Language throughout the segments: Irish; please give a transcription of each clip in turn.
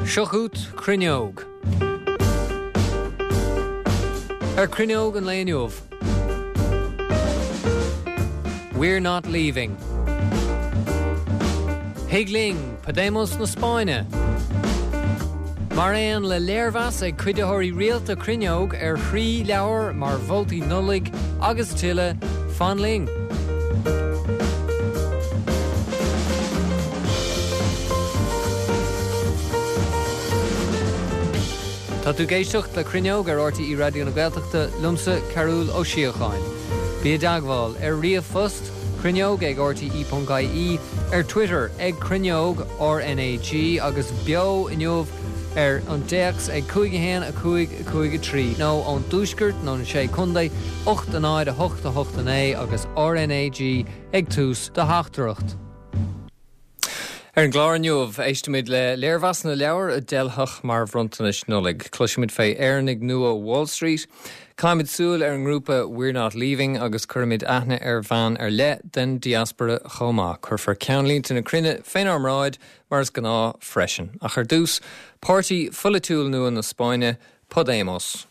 Seo chugat Cruinneog. Ar Cruinneog an lae inniu. We're not leaving. Thig linn, Podemos na Spáinne. Mar aon le léirmheas ag cuiditheoirí rialta Cruinneog ar thrí leabhar mar mholtaí Nollag agus tuilleadh, fan linn! Tá tú ag éisteacht le Cruinneog ar RTÉ Raidió na Gaeltachta, liomsa, Cearbhall Ó Síocháin. Bí i dteagmháil ar ríomhphost, cruinneog ag rte.ie, ar Twitter ag Cruinneog RnaG agus beo inniu ar an dtéacs ag 5 1 5 5 3 nó ón dTuaisceart nó na Sé Contae 8 0 8 8 9 agus RnaG ag tús do theachtaireacht. Ar an gclár inniu, éistfimid le léirmheasanna leabhar a d'fheilfeadh mar bhronntanais Nollag, cloisfimid fé Éireannaigh nua Wall Street, caithfimid súil ar an ngrúpa We're Not Leaving agus cuirfimid aithne ar bhean ar leith den diaspora chomh maith. Cuirfear ceannlínte na cruinne fénár mbráid mar is gnáth freisin. Ach ar dtús, páirtí pholaitiúil nua na Spáinne, Podemos.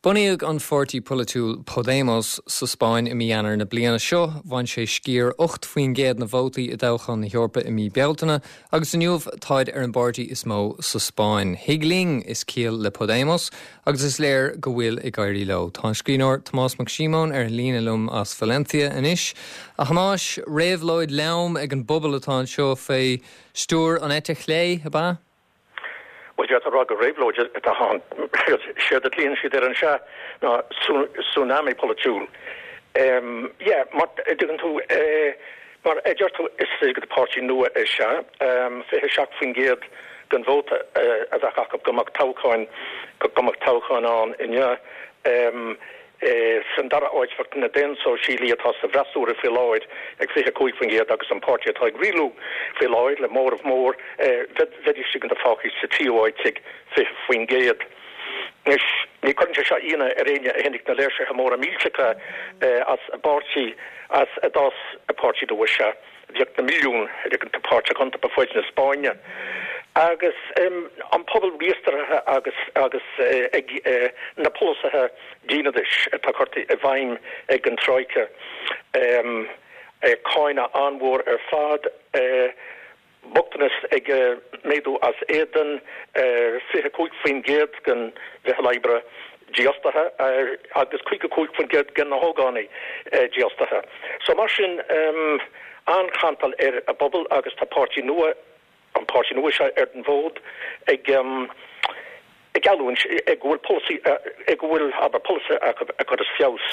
Bunaíodh an pháirtí polaitiúil Podemos sa Spáinn i mí Eanáir na bliana seo. Bhain sé sciar 8% na vótaí i dtoghchán na hEorpa i mí Bealtaine agus inniu táid ar an bpáirtí is mó sa Spáinn. Thig linn is ciall le Podemos agus is léir go bhfuil ag éirí leo. Tá an scríbhneoir Tomás Mac Síomóin ar an líne liom as Valencia anois. A Thomáis, réabhlóid lom ag an bpobal atá anseo fé stiúir an eite chlé, ab ea? Bhuel, d'fhéadfá a rá gur réabhlóid atá ann. Séard a ghlaonn siad air anseo ná tsunami polaitiúil. Yeah, mar a dtuigeann tú, mar a deir tú, is páirtí nua é seo. 27% den vóta a bheadh acu go mbeadh toghcháin, go mbeadh toghcháin ann inniu. San dara áit bheadh na Daonsóisialaí atá sa bhfreasúra faoi láthair ag 25% agus an páirtí atá ag rialú faoi láthair le móramh mór, bheidís fágtha sa tríú áit ag 20%. Anois, ní chuireann sé seo ionadh ar éinne a chonaic na léirsithe móra millteacha as a bpáirtí, as a d'fhás an páirtí nua seo. Bhíodh na milliúin páirteach iontu ar fud na Spáinne agus an pobal míostraithe agus agus ag na polasaithe dínadais atá curtha i bhfeidhm ag an Troika. Cáineadh an-mhór ar fad. Bochtanas ag méadú as éadan, 25% den mheitheal oibre dífhostaithe agus 55% de na hógánaigh dífhostaithe. So mar sin, an-chantal ar an bpobal agus tá páirtí nua, an páirtí nua seo ar an bhfód ag ag geallúint go bhfuil polasaí, go bhfuil, abair, polasaithe acu a chuirfeas feabhas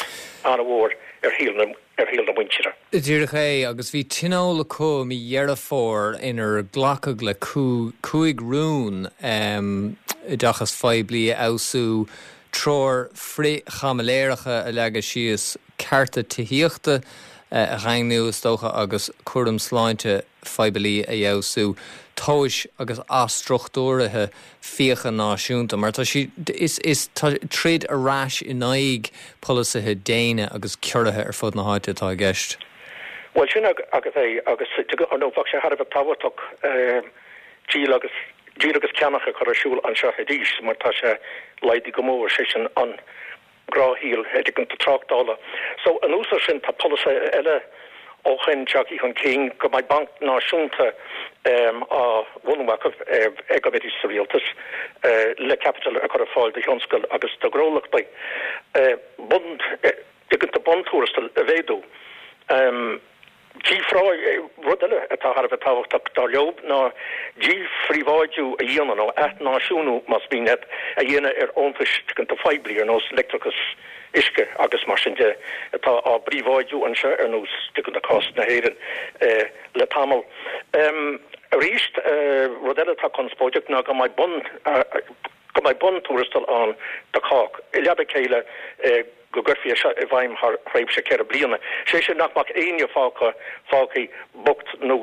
an-mhór ar shaol na, ar shaol na muintire. Díreach é, agus bhí tionól acu mí Dheireadh Fómhair inar glacadh le cúig rún, oideachas phoiblí a fheabhsú, treoir frith-chaimiléireachta a leagadh síos, cearta tithíochta a dhaingniú is dócha agus cúram sláinte phoiblí a fheabhsú, tomhais agus athstruchtúruithe fiacha náisiúnta, mar tá siad, is, is, tá troid ar ais in aghaidh polasaithe déine agus ciorruithe ar fud na háite atá i gceist. Bhuel, sin agat é, agus ar ndóigh bheadh sé thar a bheith tábhachtach díol agus, díol agus ceannach a chur ar siúl anseo arís, mar tá sé laghdaithe go mór, sé sin an. gnáthshaol idir tráchtála. So, anuas ar sin, tá polasaithe eile ó shoin tagtha chun cinn go mbeidh banc náisiúnta á bhunú acu ag go mbeidís sa rialtas le caipiteal a chur ar fáil do thionscal agus do ghnólachtaí. Bun, buntuarastal a mhéadú. Rud eile atá thar a bheith tábhachtach, dar leo, ná díphríobháidiú a dhéanamh, nó athnáisiúnú más mian leat, a dhéanamh ar fhóntais phoiblí ar nós leictreachas, uisce agus mar sin de, atá á bpríobháidiú anseo ar nós cás na hÉireann le tamall. Arís, rud eile atá conspóideach ná go mbeidh bun go mbeidh buntuarastal ann do chách, i leaba a chéile. go gcuirfí é seo i bhfeidhm thar thréimhse 4 bliana. Sé sin nach mbeadh éinne fágtha fágtha bocht nó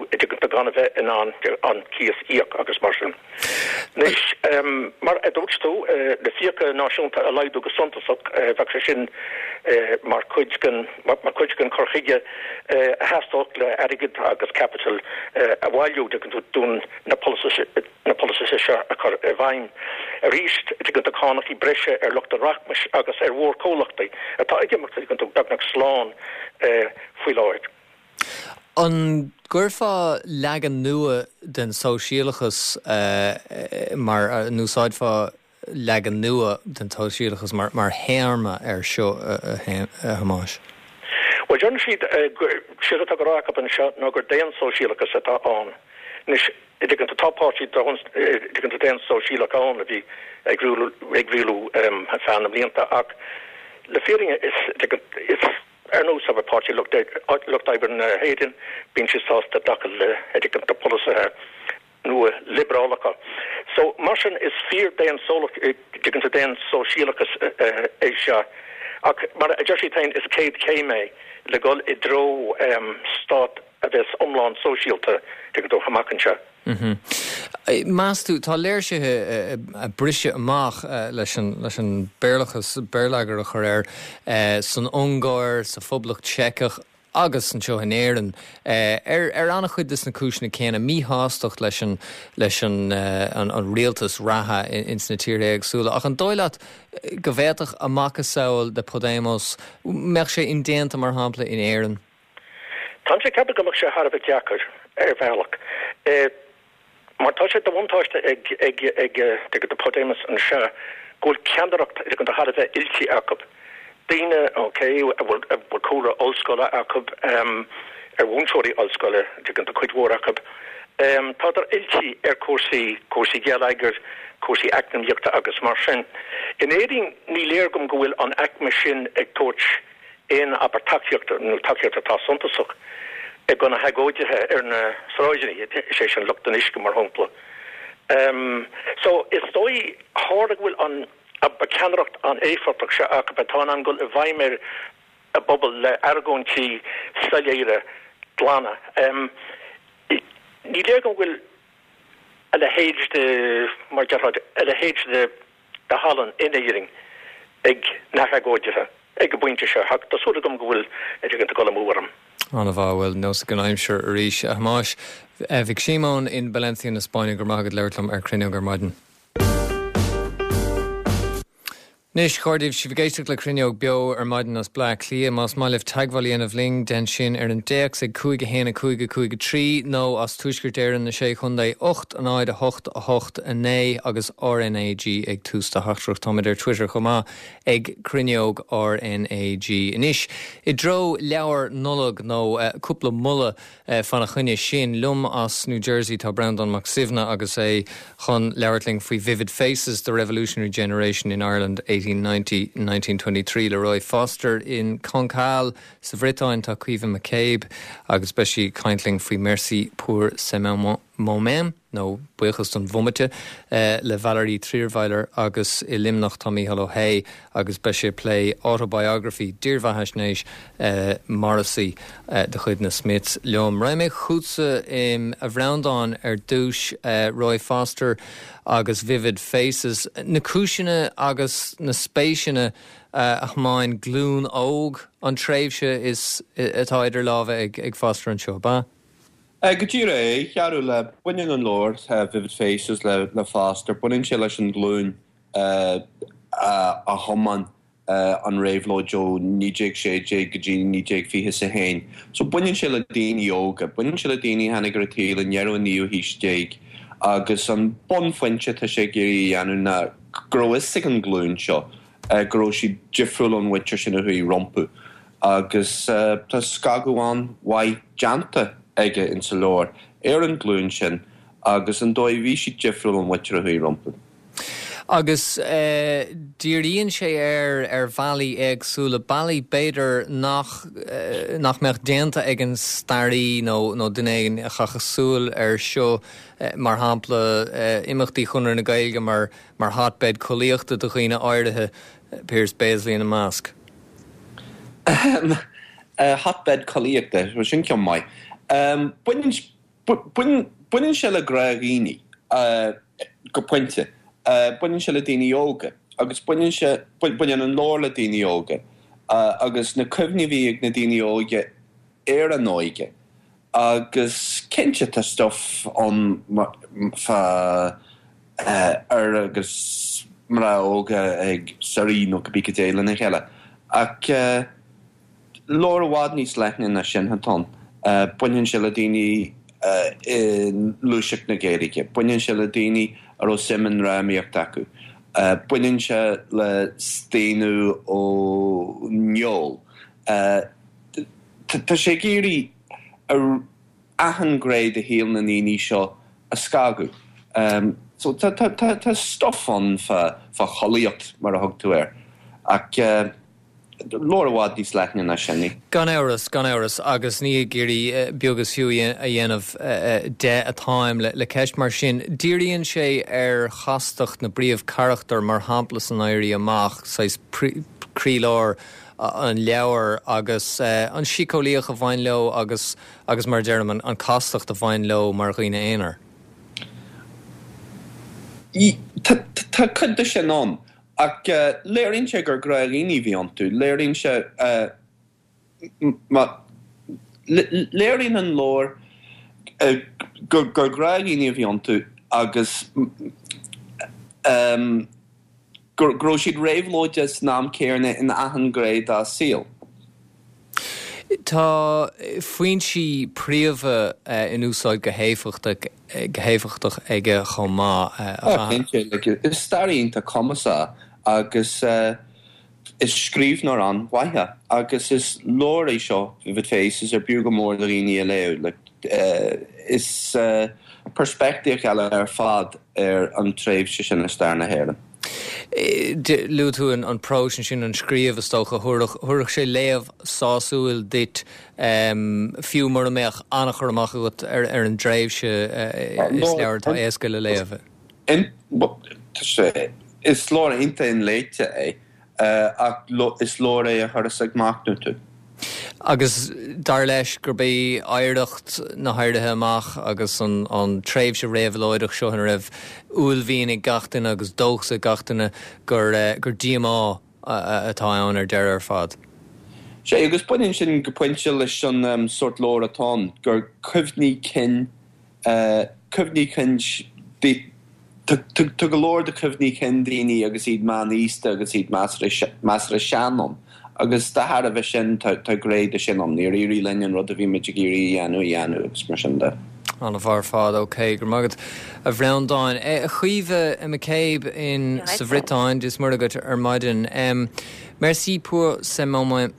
gan a bheith in ann an cíos íoc agus mar sin. Anois, mar a dúirt tú, na fiacha náisiúnta a laghdú go suntasach, bheadh sé sin mar chuid den mar chuid den chur chuige a theastódh le airgead agus caipiteal a bhailiú d'fhonn na polasaithe seo a chur i bhfeidhm. Arís, tuigeann tú, cánachaí breise ar lucht an rachmais agus ar mhórchomhlachtaí atá ag imeacht, tuigeann tú, beagnach slán faoi láthair. An gcuirfeá leagan nua den sóisialachas mar, an úsáidfeá leagan nua den tsóisialachas mar théarma air seo, a Thomáis? Bhuel, deireann siad, séard atá á rá acu anseo ná gur daonsóisialachas atá ann. Anois, tuigeann tú, tá páirtí tuigeann tú daonsóisialach ann a bhí ag rialú ag rialú ar feadh na mblianta ach le fírinne is tuigeann is ar nós abair Páirtí Lucht Oibre na hÉireann bíonn siad sásta glacadh le tuigeann tú polasaithe nua liobrálacha. So, mar sin, is fíor tuigeann tú daonsóisialachas é seo. Ach mar a deir siad féin, is céad chéim é le dhul i dtreo stát a bheas iomlán sóisialta, tuigeann tú, amach anseo. Meas tú, tá léirsithe ag briseadh amach leis an leis an Béarlachas, béarlagair a chur air, san Ungáir, sa Phoblacht Seiceach, agus anseo in Éirinn, ar an-chuid de na cúiseanna céanna, míshástacht leis an leis an an rialtas reatha ins na tíortha éagsúla. Ach an dóigh leat go bhféadfadh a macasamhail de Podemos, mbeadh sé indéanta, mar shampla, in Éirinn? Táimse ag ceapadh go mbeadh sé thar a bheith deacair, ar bhealach. Mar tá sé de bhuntáiste ag ag ag ag Podemos anseo go bhfuil ceannaireacht thar a bheith oilte acu. Daoine, ok, a bhfuil a bhfuil cúlra ollscoile acu, ar mhúinteoirí ollscoile, tuigeann tú, cuid mhór acu. Tádar oilte ar chúrsaí, cúrsaí geilleagair, cúrsaí eacnamaíochta agus mar sin. In Éirinn ní léir dom go bhfuil an aicme sin ag tabhairt aon, abair, tacaíocht nó tacaíocht atá suntasach do na hagóidithe ar na sráideanna, is é sin lucht an uisce mar shampla. So, is dóigh, tharla go bhfuil an, abair, ceannaireacht an-éifeachtach seo acu atá in ann dul i bhfeidhm ar an bpobal le argóintí soiléire glana. Ní léir dom go bhfuil a leithéid de, mar a déarfá, a leithéid de de thallann in Éirinn ag na hagóidithe ag an bpointe seo ach tá súil agam go bhfuil ag dul amú orm. An-mhaith, bhuel, nós ag an aimsir arís. A Thomáis Mhic Síomóin in Valencia na Spáinne, go raibh maith agat labhairt liom ar Cruinneog ar maidin. Anois, a chairde, sibh ag éisteacht le Cruinneog beo ar maidin as Bleá Cliath. Más maith libh teagmháil a dhéanamh linn, déan sin ar an dtéacs ag 5 1 5 5 3 nó as Tuaisceart Éireann, na Sé Chontae, 8 0 8 8 9 agus RNAG ag tús do theachtaireacht. Táimid ar Twitter chomh maith ag Cruinneog RNAG. Anois, i dtreo leabhar Nollag nó cúpla moladh Fána choinne sin, liom as New Jersey tá Breandán Mac Suibhne agus é chun labhairt linn faoi Vivid Faces, The Revolutionary Generation in Ireland 1890, 1923 le Roy Foster. In Cancale sa Bhriotáin tá Caoimhe McCabe agus beidh sí ag caint linn faoi Merci pour ce moment. nó Buíochas don Bhomaite, le Valerie Trierweiler agus i Luimneach tá Mícheál Ó hAodha agus beidh sé ag plé Autobiography, dírbheathaisnéis Morrissey de chuid na Smiths liom. Raghaidh mé chugatsa, a Bhreandáin, ar dtús, Roy Foster agus Vivid Faces, na cúiseanna agus na spéiseanna a thiomáin glúin óg an tréimhse is atá idir lámha ag Foster anseo, ab ea? Go díreach é, a Chearúil. Baineann an leabhar Vivid Faces le Foster, baineann sé leis an ghlúin a thiomáin an réabhlóid ó 1916 go dtí 1921. So baineann sé le daoine óga, baineann sé le daoine a tháinig ar an tsaol i ndeireadh an naoú haois déag agus an bunphointe atá sé ag iarraidh a dhéanamh ná go raibh fhios ag an ghlúin seo go raibh siad difriúil ón mhuintir sin a chuaigh rompu. Agus tá scagadh an-mhaith déanta aige insa leabhar ar an ghlúin sin agus an dóigh a bhí siad difriúil ón mhuintir a chuaigh rompu. Agus díríonn sé air ar bhealaí éagsúla, bealaí b'fhéidir nach nach mbeadh déanta ag an staraí nó nó duine éigin a chaithfeadh súil air seo, mar shampla imeachtaí Chonradh na Gaeilge mar mar hotbed collaíochta do dhaoine áirithe, Pearse Béaslaí ina measc. Hotbed collaíochta, sin ceann maith. Baineann, baineann sé le gnáthdhaoine, go pointe. Baineann sé le daoine óga agus baineann sé, baineann an leabhar le daoine óga agus na cuimhní a bhí ag na daoine óga ar a n-óige. Agus cinnte tá stuff ann fá fhir agus mná óga ag suirí nó cibé cad é lena chéile. Ach leabhar i bhfad níos leithne ná sin atá ann. Baineann sé le daoine i ngluaiseacht na Gaeilge, baineann sé le daoine a raibh suim i ndrámaíocht acu, baineann sé le staonadh ón ól. Tá sé ag iarraidh achan ghné de shaol na ndaoine seo a scagadh. So tá tá stuff ann fá chollaíocht, mar a thug tú air, ach leabhar i bhfad níos leithne ná sin é. Gan amhras, gan amhras, agus ní ag iarraidh beag is fiú a dhéanamh de atáim le ceist mar sin. Díríonn sé ar chastacht na bpríomhcharachtar, mar shampla san Éirí Amach, saghas croílár an leabhair agus an síceolaíocht a bhain leo agus agus mar a deirim an castacht a bhain leo mar dhaoine aonair. Tá cuid de sin ann ach léiríonn sé gur gnáthdhaoine a bhí iontu. Léiríonn sé léiríonn an leabhar gur gnáthdhaoine a bhí iontu agus go raibh siad réabhlóideach san am céanna in achan ghné dá saol. Tá foinsí príomha in úsáid go héifeachtach go héifeachtach aige chomh maith. Tá, cinnte. Is staraí iontach cumasach agus is scríbhneoir an-mhaith é agus is leabhar é seo, Vivid Faces, ar b'fhiú go mór do dhaoine a léamh. Is peirspictíocht eile ar fad ar an tréimhse sin i stair na hÉireann. Luaigh tú an próis ansin, an scríobh, is dócha. Thabharfadh sé léamh sásúil duit, fiú mura mbeadh an-chur amach agat ar an dtréimhse. Is leabhar atá éasca le léamh. Is leabhar iontach inléite é. Ach is leabhar é a chuireas ag machnamh tú. Agus dar leis gurb é oidhreacht na hÉirithe Amach agus an tréimhse réabhlóideach seo ina raibh uaillmhian ag gach duine agus dóchas ag gach duine gur díomá atá ann ar deireadh ar fad. Sea, agus baineann sin go pointe leis an sórt leabhair atá ann, gur cuimhní cinn Cuimhní cinn, Tá go leor de chuimhní cinn daoine agus iad meánaosta agus iad measartha sean ann, agus de thairbhe sin tá gné de sin ann. Níor éirigh linn an rud a bhí muid ag iarraidh a dhéanamh a dhéanamh agus mar sin de. An-mhaith ar fad. OK, go raibh maith agat a Bhreandáin. A Chaoimhe McCabe in sa Bhriotáin, Dia is Muire dhuit ar maidin. Merci pour ce moment,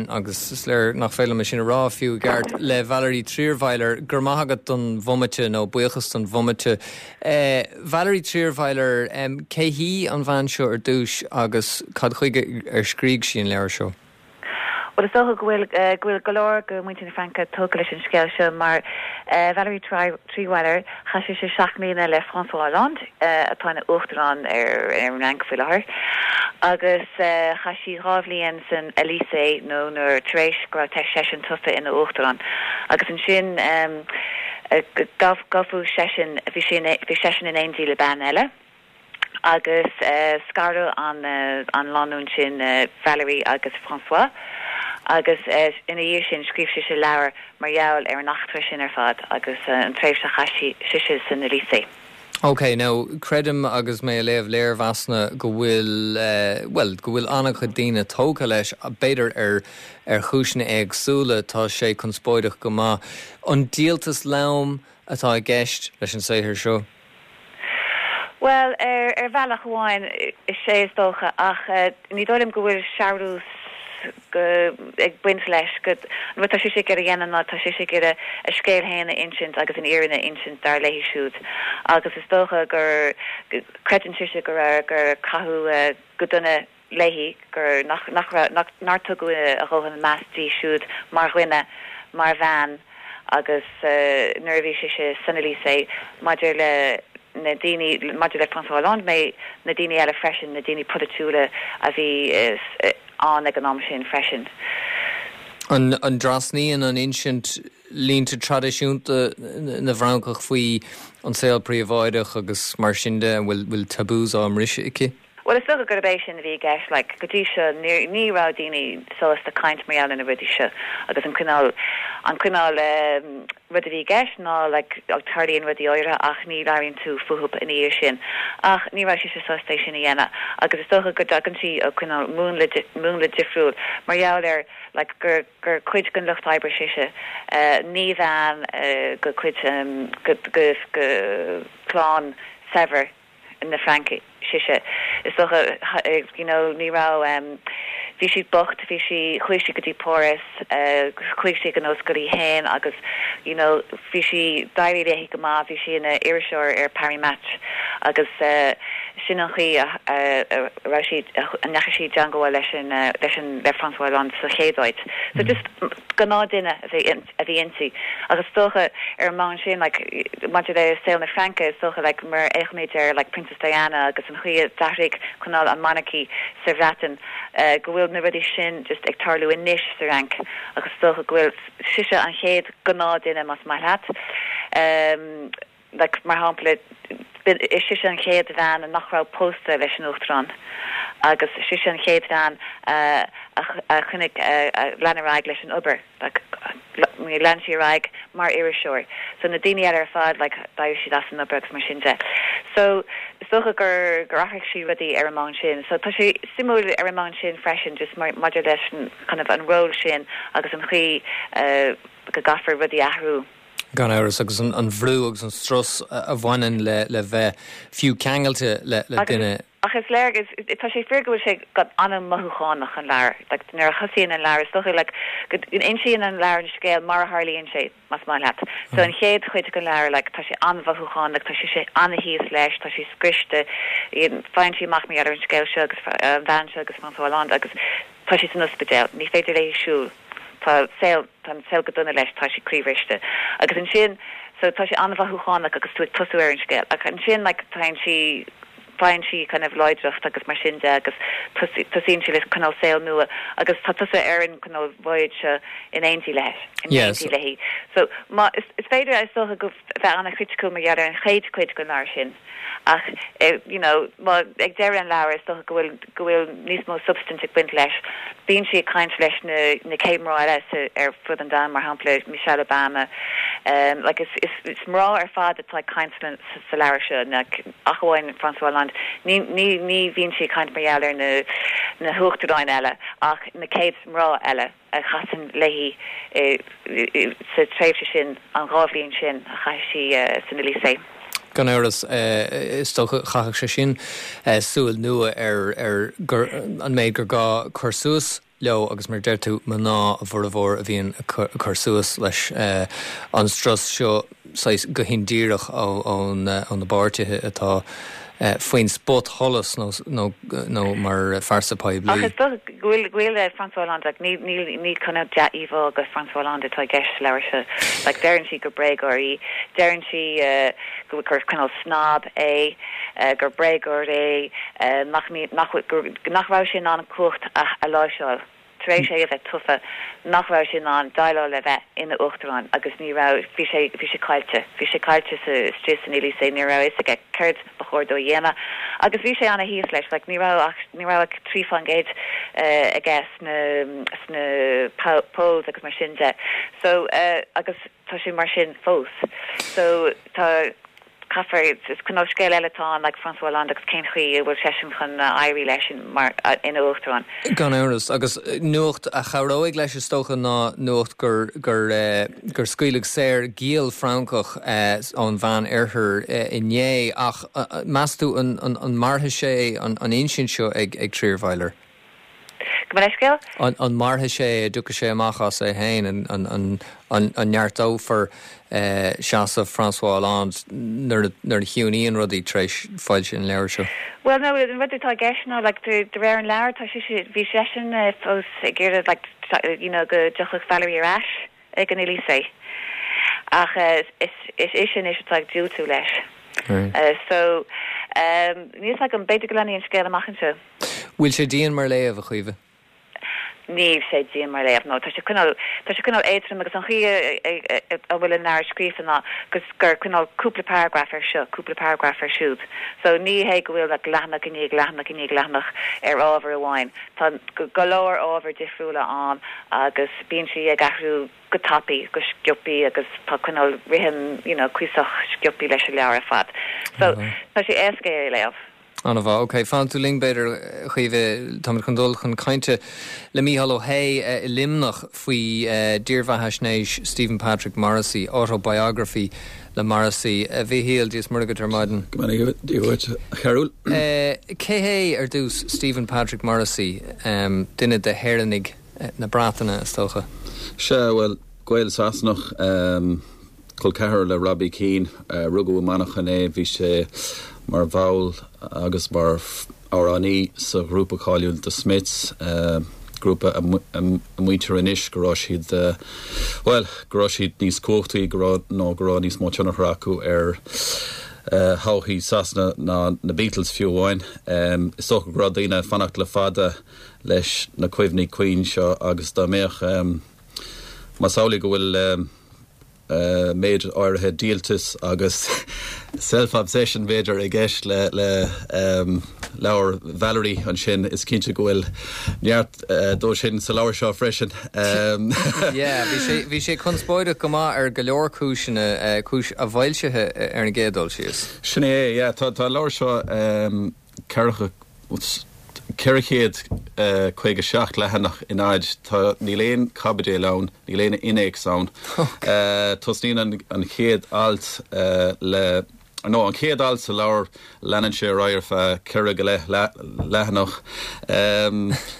agus is léir nach féidir liom é sin a rá fiú i gceart, le Valérie Trierweiler. Go raibh maith agat don bhomaite, nó buíochas don bhomaite. Valérie Trierweiler, cé hí an bhean seo ar dtús agus cad chuige ar scrígh sí an leabhar seo? Bhuel, is dócha go bhfuil go bhfuil go leor de mhuintir na Fraince tógtha leis an scéal seo mar Valérie Trierweiler, chaith sise seacht mbliana le François Hollande, atá ina uachtarán ar an Fhrainc faoi láthair, agus chaith sí 2 bhliain san Élysée nó nuair tar éis go raibh seisean tofa ina uachtarán. Agus ansin gabhadh seisean, bhí seisean in éindí le bean eile. agus scaradh an lánúin sin, Valérie agus François, agus ina dhiaidh sin scríobh sise leabhar mar gheall ar an eachtra sin ar fad agus an tréimhse a chaith sise san Élysée. Ok, now, creidim agus mé ag léamh léirmheasanna go bhfuil, bhuel, go bhfuil an-chuid daoine tógtha leis, b'fhéidir ar ar chúiseanna éagsúla, tá sé conspóideach go maith. An díoltas lom atá i gceist leis an saothar seo? Bhuel, ar bhealach amháin, is ea is dócha, ach ní dóigh liom go bhfuil searbhas ag baint leis. Go, an rud atá sise ag iarraidh a dhéanamh ná tá sise ag iarraidh a scéal féin a insint agus an fhírinne a insint dar léi siúd. Agus is dócha gur, creideann sise go raibh, gur caitheadh go dona léi, gur, nach, nach raibh, nach, nár tugadh a dhóthain meas di siúd mar dhuine, mar bhean agus nuair a bhí sise san Élysée, maidir le na daoine, maidir le François Hollande, mé, na daoine eile freisin, na daoine polaitiúla a bhí. ann ag an am sin freisin. An dtrasnaíonn an insint línte traidisiúnta na bhFrancach faoi an saol príobháideach agus mar sin de? An bhfuil taboos á mbriseadh aici? Bhuel, is dócha gurb é sin a bhí i gceist, like, go dtí seo ní, ní raibh daoine sásta caint mar gheall ar na rudaí seo agus an cineál, an cineál eh rud a bhí i gceist ná like tarlaíonn rudaí áirithe ach ní labhraíonn tú fúthu ina dhiaidh sin. Ach ní raibh sise sásta é sin a dhéanamh agus is dócha go dtagann sí ó cineál múnla, múnla difriúil mar gheall ar like gur, gur cuid den lucht oibre sise, eh ní bhean eh go cuid eh go, go, go clann saibhir. na Fraince sise. Is dócha, you know, ní raibh, bhí siad bocht, bhí sí, chuaigh sí go dtí Páras, chuaigh sí ag an ollscoil í féin agus, you know, bhí sí, d'éirigh léi go maith, bhí sí ina iriseoir ar Paris Match agus sin an chaoi a raibh sí, a ndeachaigh sí i dteangmháil leis an, leis an, le François Hollande sa chéad áit. So just gnáthdhuine a bhí a bhí inti. Agus is dócha ar an mbonn sin like maidir le saol na Fraince is dócha like mar fhéachaimid ar like Princess Diana agus an chaoi a d'athraigh cineál an monarchy sa Bhreatain go bhfuil na rudaí sin just ag tarlú anois sa Fhrainc agus is dócha go bhfuil sise an chéad gnáthdhuine más maith leat. Like, mar shampla, is sise an chéad bhean nach raibh pósta leis an Uachtarán agus sise an chéad bhean a choinnigh, a lean ar aghaidh leis an obair, like, lean sí ar aghaidh mar iriseoir. So na daoine eile ar fad, like, d'éirigh siad as an obair agus mar sin de. So is dócha gur, gur athraigh sí rudaí ar an mbonn sin. So tá sé suimiúil ar an mbonn sin freisin, just mar, maidir leis an, kind of, an ról sin agus an chaoi go gcaithfear rudaí a athrú. Gan amhras, agus an bhrú agus an strus a bhaineann le bheith fiú ceangailte le duine. Ach is léir, tá sé fíor go bhfuil sé an-mhothúchánach, an leabhar. Like, nuair a thosaíonn an leabhar, is dócha, like, go n-insíonn an leabhar an scéal mar a tharlaíonn sé, más maith leat. So an chéad chuid den leabhar, like, tá sé an-mhothúchánach, tá sise an-thíos leis, tá sí scriosta, faigheann sí amach mar gheall ar an scéal seo agus an bhean seo agus François Hollande agus Tá sí san ospidéal. Ní féidir léi siúl. Tá saol, tá an saol go dona leis, tá sí croíbhriste. Agus ansin, so tá sé an-mhothúchánach agus tú ag tosú ar an scéal. Ach ansin, like, faigheann sí, faigheann sí kind of láidreacht agus mar sin de agus tosaíonn sí le cineál saol nua agus tá tusa ar an cineál voyage seo in éindí leis, in éindí léi. So má, is, is féidir, is dócha go bheith an-chriticiúil mar gheall ar an chéad chuid den leabhar sin. Ach you know má ag deireadh an leabhair is dócha go bhfuil go bhfuil níos mó substaint ag baint leis. Bíonn sí ag caint leis na na céad mná eile sa ar fud an domhain, mar shampla Michelle Obama. Um like is is is mná ar fad atá ag caint sa sa leabhar seo like ach amháin François Hollande. Ní ní ní bhíonn sí ag caint mar gheall ar na na huachtaráin eile ach na céad mná eile. a chasann léi sa tréimhse sin, an dá bhliain sin a chaith sí san Élysée. Gan amhras, is dócha, chaithfeadh sé sin súil nua ar an méid gur gá cur suas leo agus mar a deir tú, mná a bhformhór a bhíonn ag cur suas leis an strus seo. saghas go hindíreach ó na bpáirtithe atá faoin spotsholas nó mar phearsa poiblí. Ach is dócha go bhfuil go bhfuil François Hollande, like, ní ní ní cineál dea-íomhá de François Hollande atá i gceist sa leabhar seo. Like, deireann sí gur bréagóir í, deireann sí go gur cineál snob é, gur bréagóir é, nach nach gur nach raibh sé in ann cumhacht a a láimhseáil. tar éis é a bheith tofa, nach raibh sé in ann déileáil le bheith ina uachtarán agus ní raibh, bhí sé, bhí sé caillte, bhí sé caillte sa, istigh san Élysée, ní raibh a fhios aige céard ba chóir dó a dhéanamh agus bhí sé ana-thíos leis, like ní raibh ach, ní raibh ach 3% aige sna, sna polls agus mar sin de. So, agus tá sé mar sin fós. So, tá. Caithfear, is cineál scéal eile atá ann, like François Hollande agus cén chaoi a bhfuil seisean chun éirí leis mar ina uachtarán. Gan amhras. Agus nuacht a chabhróidh leis is dócha ná nuacht gur gur gur scaoileadh saor giall Francach ón Mheán Oirthear inné. Ach meas tú an an mairfidh sé an insint seo ag ag Trierweiler? Gabh mo leithscéal? An mairfidh sé, an dtiocfaidh sé amach as é féin, an neartófar seasamh François Hollande nuair a chiúnaíonn rudaí tar éis foilsiú an leabhair seo? Bhuel, no, an rud atá i gceist ná, like, de réir an leabhair, tá sise, bhí seisean fós ag iarraidh, like, you know, go dtiocfadh Valérie ar ais ag an Élysée. Ach is ise anois atá ag diúltú leis. So, níl 's agam, b'fhéidir go leanfaidh an scéal amach anseo. Bhfuil sé dian mar léamh, a Chaoimhe? Níl sé dian mar léamh, no. Tá sé cineál, tá sé cineál éadrom agus an chaoi a bhfuil an leabhar scríofa ná gur cineál cúpla paragraf ar seo, cúpla paragraf ar siúd. So ní hé go bhfuil like leathanach i ndiaidh leathanach i ndiaidh leathanach ar ábhar amháin. Tá go leor ábhair difriúla ann agus bíonn sí ag athrú go tapaidh, go sciopaí agus tá cineál rithim, you know, cuíosach sciopaí leis an leabhar ar fad. So tá sé éasca é a léamh. An-mhaith. Ok, fanfaidh tú linn b'fhéidir, a Chaoimhe. Táimid chun dul chun cainte le Mícheál Ó hAodha i Luimneach faoi dírbheathaisnéis Stephen Patrick Morrissey, Autobiography le Morrissey. A Mhíchíl, Dia is Muire dhuit ar maidin. Go mbeannaí Dia dhuit, a Chearúil. Cé hé, ar dtús, Stephen Patrick Morrissey? Duine de hÉireannaigh na Breataine, is dócha. Sea, bhuel, Gael-Sasanach. Col ceathrar le Robbie Keane. Rugadh i Manchain é. Bhí sé mar bhall agus mar amhránaí sa ghrúpa cáiliúil The Smiths, grúpa a maítear anois go raibh siad, bhuel, go raibh siad níos cumhachtaí, go raibh, nó go raibh níos mó tionchar acu ar thodhchaí Sasana ná na Beatles fiú amháin. Is dócha go raibh daoine ag fanacht le fada leis na cuimhní cinn seo agus dá mbeadh, más amhlaidh go bhfuil méid áirithe díoltais agus self-obsession b'fhéidir i gceist le leabhar Valerie ansin, is cinnte go bhfuil neart dó sin sa leabhar seo freisin. Yeah, bhí sé, bhí sé conspóideach go maith ar go leor cúiseanna, cúis a bhfoilsithe ar an gcéad dul síos. Sin é, yeah, tá an leabhar seo 457 leathanach in fhad. Tá, níl aon chaibidil ann, níl aon innéacs ann. Tosnaíonn an chéad alt le, nó an chéad alt sa leabhar, leanann sé ar aghaidh ar feadh ceithre go leith leathanach.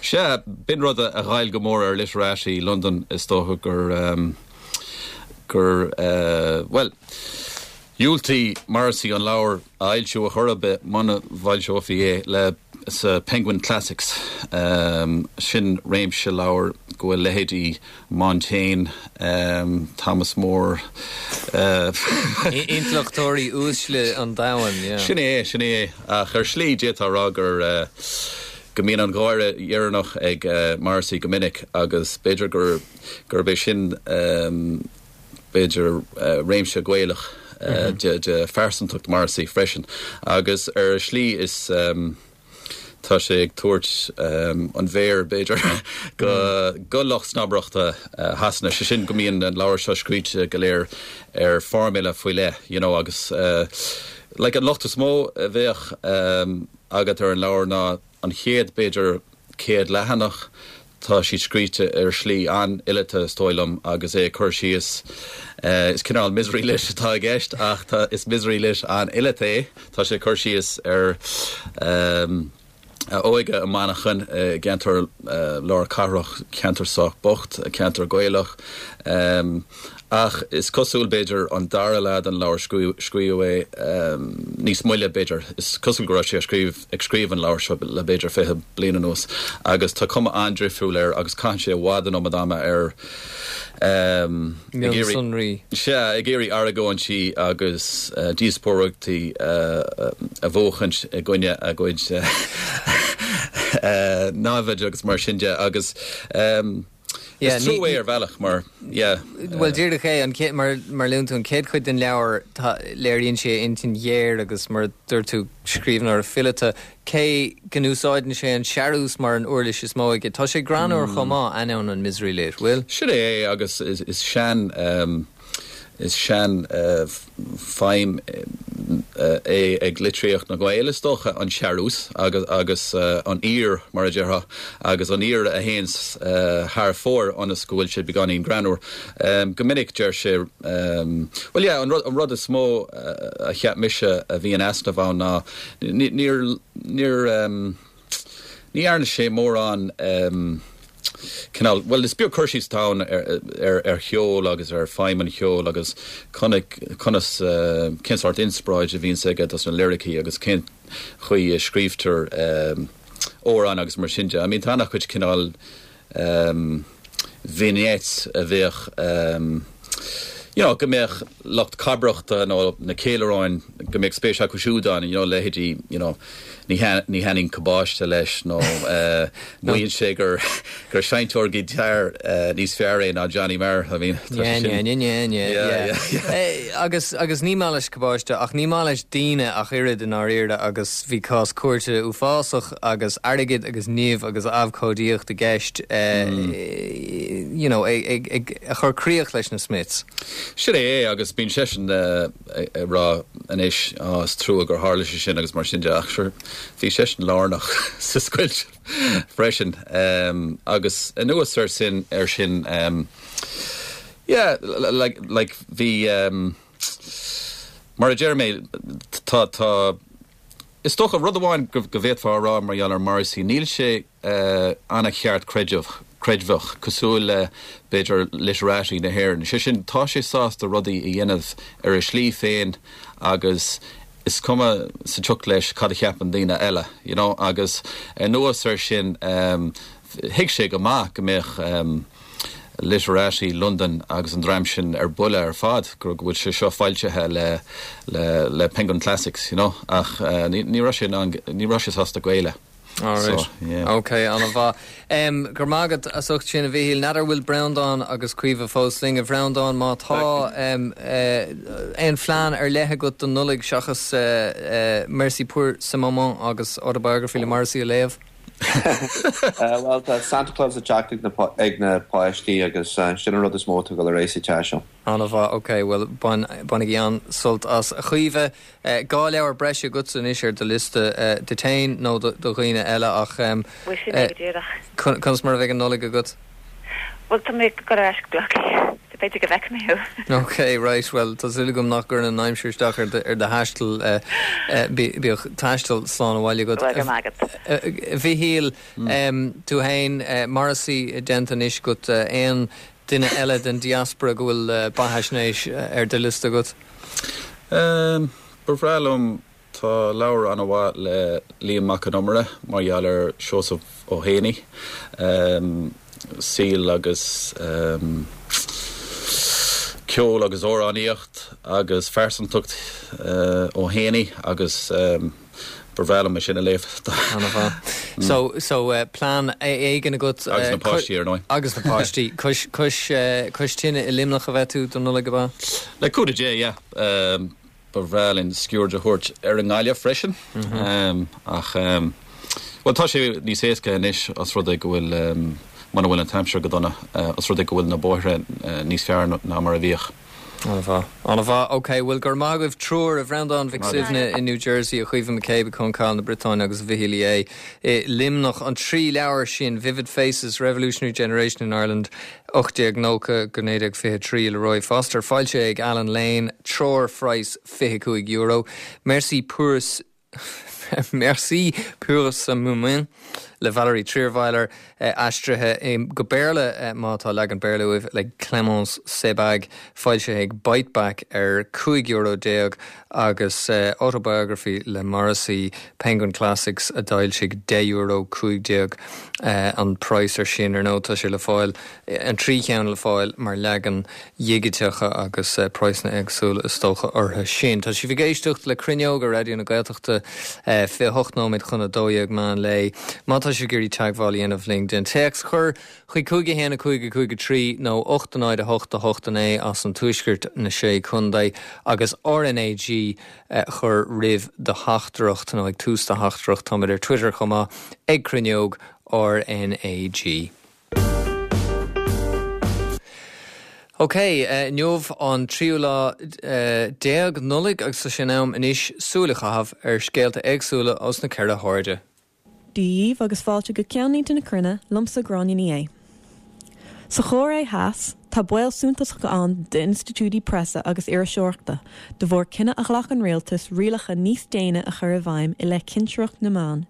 Sea, b'in rud a ghoill go mór ar literati Londain, is dócha gur, gur, bhuel, Dhiúltaigh Morrissey an leabhar a fhoilsiú ar chor ar bith muna bhfoilseofaí é le sa Penguin Classics. Sin réimse leabhar go bhfuil leithéidí Montaigne, Thomas Moore. Intleachtóirí uaisle an domhain, yeah. Sin é, sin é. Ach ar shlí d'fhéadfá a rá gur go mbíonn an gháire dheireanach ag Morrissey go minic agus b'fhéidir gur gurb é sin b'fhéidir, réimse Gaelach de phearsantacht Morrissey freisin agus ar shlí is tá sé ag tabhairt an mhéar, b'fhéidir, go lucht snobaireachta Shasana, sé sin go mbíonn an leabhar seo scríte go léir ar formula faoi leith, you know, agus like an locht is mó a bheadh agat ar an leabhar ná an chéad, b'fhéidir, 100 leathanach. Tá siad scríte ar shlí an-fhileata, is dóigh liom, agus é ag cur síos, is cineál misery lit atá i gceist ach tá, is misery lit an-fhileata é. Tá sé ag cur síos ar a óige i Manchain, i gceantar lár cathrach, ceantar sách bocht, ceantar Gaelach. Ach is cosúil, b'fhéidir, an dara leath den leabhar, scríobhadh é níos moille, b'fhéidir. Is cosúil go raibh sé ag scríobh an leabhair seo le b'fhéidir 20 bliain anuas agus tá cuma an-difriúil air agus caitheann sé i bhfad an iomad ama ar ag iarraidh, sea, ag iarraidh argóintí agus díospóireachtaí a bhuachaint i gcoinne a gcuid naimhde agus mar sin de agus. Yeah, Is trua é ar bhealach mar, yeah. Bhuel, díreach é, an chéad, mar, mar luann tú, an chéad chuid den leabhar, tá, léiríonn sé a intinn ghéar agus, mar a dúirt tú, scríbhneoir fileata, cé go n-úsáideann sé an searús mar an uirlis is mó aige. Tá sé greannmhar chomh maith, ainneoin an misery lit, bhfuil? Sin é é agus is, is sean, Is sean feidhm é ag litríocht na nGael, is dócha, an searús agus agus an aoir, mar a déarfá, agus an aoir a théanns thar fóir ionas go bhfuil sé beagáinín greannmhar. Go minic deir sé, bhuel yeah, an rud an rud is mó a cheap mise a bhí in easnamh ann ná níor níor Ní dhearna sé mórán cineál, bhuel is beag cur síos atá ann ar cheol agus ar feidhm an cheoil agus conas, cén sórt inspioráid a bhíonns aige dos na liricí agus cén chaoi a scríobhtar amhráin agus mar sin de. I mean tá an-chuid cineál vignettes a bheadh you know go mbeadh lucht cabaireachta nó na ceiliúráin go mbeadh spéis acu siúd ann you know leithéidí you know. Ní thaitníonn cabáiste leis nó maíonn sé gur gur seinnteoir giotáir níos fearr é ná Johnny Marr. I mean, tá sé sin. Yeah, yeah, yeah, yeah. Agus agus ní maith leis cabáiste ach ní maith leis daoine ach oiread i ndáiríre agus bhí cás cúirte uafásach agus airgead agus nimh agus abhcóidíocht i gceist you know ag ag a chur críoch leis na Smiths. Sin é é agus bíonn seisean ag rá anois, Á, is trua gur tharla sé sin agus mar sin de, ach sure, bhí seisean lárnach sa scoilt freisin. Agus anuas ar sin, ar sin, yeah, like, like, bhí, mar a deir mé, tá, tá, is dócha, rud amháin go, go bhféadfá a rá mar gheall ar Morrissey, níl sé, an-cheartchreidmheach, creidmheach, cosúil le, b'fhéidir, literati na hÉireann. Sé sin, tá sé sásta rudaí a dhéanamh ar a shlí féin agus is cuma sa tsioc leis cad a cheapann daoine eile, you know. Agus anuas air sin, thuig sé go maith go mbeadh literati Londain agus an dream sin ar buile ar fad go bhfuil sé seo foilsithe le, le, le Penguin Classics, you know. Ach ní, ní raibh sé in ann, ní raibh sé sásta géilleadh. Alright. Yeah. Ok, an-mhaith. Um, go raibh maith agat as ucht sin a Mhichíl. N'fheadar an bhfuil Breandán agus Caoimhe fós linn. A Bhreandáin, má tá um, uh, aon phlean ar leith agat don Nollaig seachas uh, uh, Merci pour ce moment agus Autobiography le Morrissey a léamh? uh, well, tá Santa Claus ag teacht ag na, ag na páistí agus uh, sin an rud is mó atá ag dul ar aghaidh sa teach seo. An-mhaith, ok, bhuel bainigí an-sult as. A Chaoimhe, 2 leabhar breise agatsa anois ar do liosta, duit féin nó do dhaoine eile ach Bhuel, sin é go díreach. conas mar a bheidh an Nollaig agat? Bhuel, tá mé ag dul ar ais go Bleá Cliath, so b'fhéidir go bhfeicfidh mé thú. Ok, right, bhuel, tá súil agam nach gcuireann an aimsir isteach ar do thaisteal, bíodh taisteal slán abhaile agat. Bhuel, go raibh maith agat. A Mhichíl, tú féin, Morrissey déanta anois agat, aon Duine eile den diaspora go bhfuil beathaisnéis ar do liosta agat? Ba bhreá liom, tá leabhar an-mhaith le Liam Mac Con Iomaire mar gheall ar Seosamh Ó hÉanaí, saol agus ceol agus amhránaíocht agus phearsantacht Ó hÉanaí agus Ba bhreá liom é sin a léamh. An-mhaith. So, so plean éigin agat. Agus na páistí, ar ndóigh. Agus na páistí. Cois, cois, cois tine i Luimneach a bheidh tú don Nollaig, ab ea? Le cúnamh Dé, yeah. Ba bhreá linn sciuird a thabhairt ar an nGaillimh freisin. Ach, bhuel, tá sé níos éasca anois os rud é go bhfuil, muna bhfuil an t-aimsir go dona, os rud é go bhfuil na bóithre níos fearr ná mar a bhíodh. An-mhaith. An-mhaith. Ok, bhuel, go raibh maith agaibh triúr, a Bhreandáin Mhic Suibhne i New Jersey, a Chaoimhe McCabe i Cancale na Briotáine agus a Mhichíl Uí Aodha i Luimneach. An trí leabhar sin, Vivid Faces, Revolutionary Generation in Ireland, 1890-1923 le Roy Foster, foilsithe ag Allen Lane, treoirphraghas €25. Merci pour Merci pour ce moment le Valérie Trierweiler, aistrithe go Béarla, má tá leagan Béarla uaibh, le Clémence Sebbag, foilsithe ag Biteback ar €15 agus Autobiography le Morrissey, Penguin Classics a d'fhoilsigh, €10, 15 an praghas ar sin. Ar ndóigh tá sé le fáil, an trí cheann le fáil mar leagan dhigiteacha agus praghsanna éagsúla is dócha orthu sin. Tá sibh ag éisteacht le Cruinneog ar Raidió na Gaeltachta, 28 nóiméad chun 12 meán lae. Má tá sibh ag iarraidh teagmháil a dhéanamh linn, déan téacs a chur chuig 5 1 5 5 3 nó 8 0 8 8 9 as an Tuaisceart, na Sé Contae, agus RNAG a chur roimh do theachtaireacht nó ag tús do theachtaireacht. Táimid ar Twitter chomh maith, ag Cruinneog RNAG. Ok, inniu an tríú lá déag Nollaig agus tá sé in am anois súil a chaitheamh ar scéalta éagsúla ós na ceithre hairde. Dia dhaoibh agus fáilte go Ceannlínte na Cruinne, liomsa Gráinne Ní Aodha. Sa Chóiré Theas, tá baol suntasach ann d'institiúidí preasa agus iriseoireachta de bharr cinneadh a ghlac an rialtas rialacha níos déine a chur i bhfeidhm i leith cinsireacht na meán.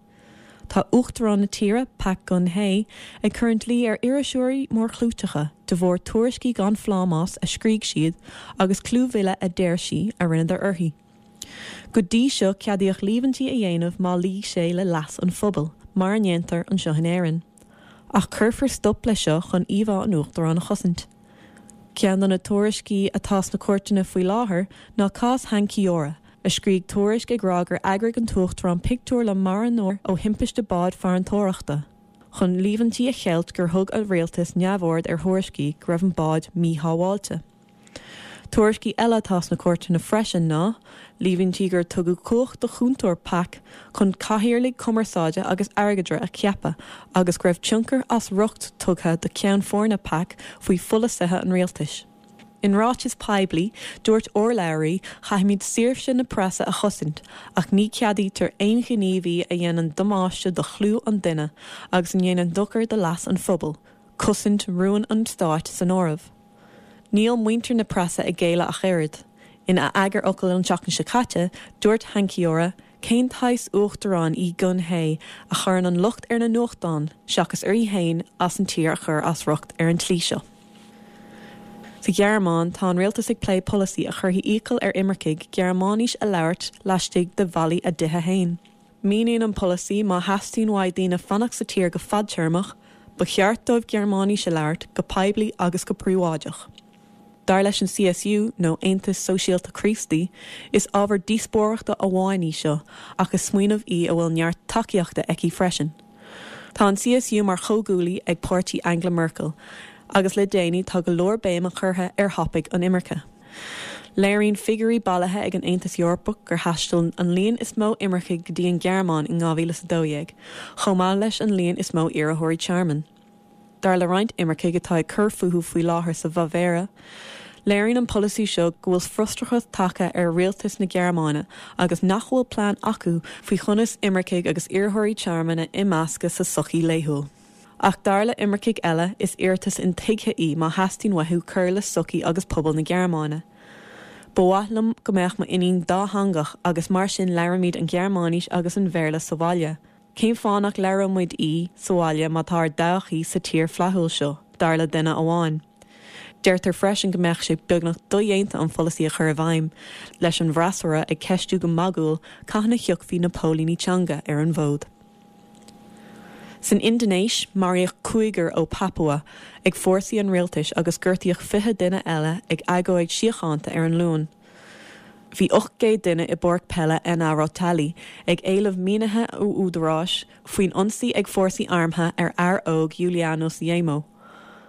Tá Uachtarán na tíre, Park Geun-hye, ag cur an dlí ar iriseoirí mórchlúiteacha de bharr tuairiscí gan phlámás a scrígh siad agus clúmhilleadh a deir sí a rinneadar uirthi. Go dtí seo ceadaíodh líomhaintí a dhéanamh má luígh sé le leas an phobail, mar a ndéantar anseo in Éirinn. Ach cuirfear stop leis seo chun íomhá an Uachtaráin a chosaint. Ceann de na tuairiscí atá sna cúirteanna faoi láthair ná cás Han Ki-ora. a scrígh tuairisc ag rá gur eagraigh an tUachtarán pictiúr le marthanóir ó thimpiste báid farantóireachta, chun líomhaintí a cheilt gur thug a rialtas neamhaird ar thuairiscí go raibh an bád míshábháilte. Tuairiscí eile atá sna cúirteanna freisin ná líomhaintí gur tugadh cumhacht do chúntóir Pak chun cathaoirligh cumarsáide agus airgeadra a cheapadh agus go raibh tionchar as riocht tugtha do cheann foirne Pak faoi pholasaithe an rialtais. In ráiteas poiblí, dúirt urlabhraí, Caithfimid saoirse na preasa a chosaint, ach ní cheadaítear aon ghníomhaí a dhéanann damáiste do chlú an duine agus a ndéanann dochar do leas an phobail, cosaint rúin an stáit san áireamh. Níl muintir na preasa ag géilleadh ach oiread. Ina eagarfhocal an tseachtain seo caite, dúirt Han Ki-ora, Cén tsaghas uachtarán í Geun-hye a chuireann an locht ar na nuachtáin seachas uirthi féin as an tír a chur as riocht ar an tslí seo? Sa Ghearmáin, tá an rialtas ag plé polasaí a chuirfidh iachall ar imircigh Gearmáinis a labhairt laistigh de bhallaí a dtithe féin. Míníonn an polasaí má theastaíonn uaidh daoine fanacht sa tír go fadtéarmach, ba cheart dóibh Gearmáinis a labhairt, go poiblí agus go príobháideach. Dar leis an CSU, nó Aontas Sóisialta Críostaí, is ábhar díospóireachta amháin í seo ach is smaoineamh í a bhfuil neart tacaíochta aici freisin. Tá an CSU mar chomhghuaillí ag páirtí Angela Merkel agus le déanaí tá go leor béime curtha ar thopaic an imirce. Léiríonn figiúirí bailithe ag an Aontas Eorpach gur thaistil an líon is mó imircigh go dtí an Ghearmáin in 2012, chomh maith leis an líon is mó iarrthóirí tearmainn. Dar le roinnt imircigh atá ag cur fúthu faoi láthair sa Bhaváir, léiríonn an polasaí seo go bhfuil frustrachas tagtha ar rialtas na Gearmáine agus nach bhfuil plean acu faoi chonas imircigh agus iarrthóirí tearmainn a imeascadh sa sochaí laethúil. Ach dar le imircigh eile, is iarratas intuigthe í má theastaíonn uathu cur le sochaí agus pobal na Gearmáine. Ba mhaith liom go mbeadh m'iníon dátheangach agus mar sin labhraímid an Ghearmáinis agus an Bhéarla sa bhaile. Cén fáth nach labhródh muid í sa bhaile má tá ár dtodhchaí sa tír flaithiúil seo, dar le duine amháin. Deirtear freisin go mbeadh sé beagnach dodhéanta an pholasaí a chur i bhfeidhm, leis an bhfreasúra ag ceistiú go magúil cathain a thiocfaidh na póilíní teanga ar an bhfód. San Indinéis, maraíodh cúigear ó Papua ag fórsaí an rialtais agus gortaíodh 20 duine eile ag agóid síochánta ar an Luan. Bhí 800 duine i bpáirc peile Enarotali ag éileamh mínithe ó údaráis faoin ionsaí ag fórsaí armtha ar fhear óg Yulianus Yeimo.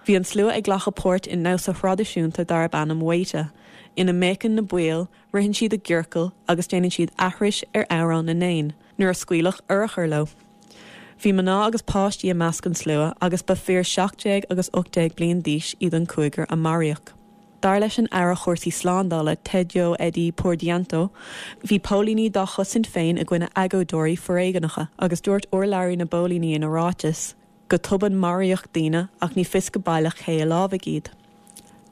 Bhí an slua ag glacadh páirt i ndamhsa thraidisiúnta darb ainm Waita, ina mbéiceann na baill, ritheann siad i gciorcal agus déanann siad aithris ar amhrán na n-éan nuair a scaoileadh urchair leo. Bhí mná agus páistí i measc an tslua agus ba fir 17 agus 18 bliain d'aois iad an cúigear a maraíodh. Dar leis an Aire Chúrsaí Slándála Tedjo Edhy Purdianto, bhí póilíní dá chosaint féin i gcoinne agóideoirí foréigneacha agus dúirt urlabhraí na bpóilíní ina ráiteas, Go tobann maraíodh daoine ach ní fios go baileach cé a lámhaigh iad.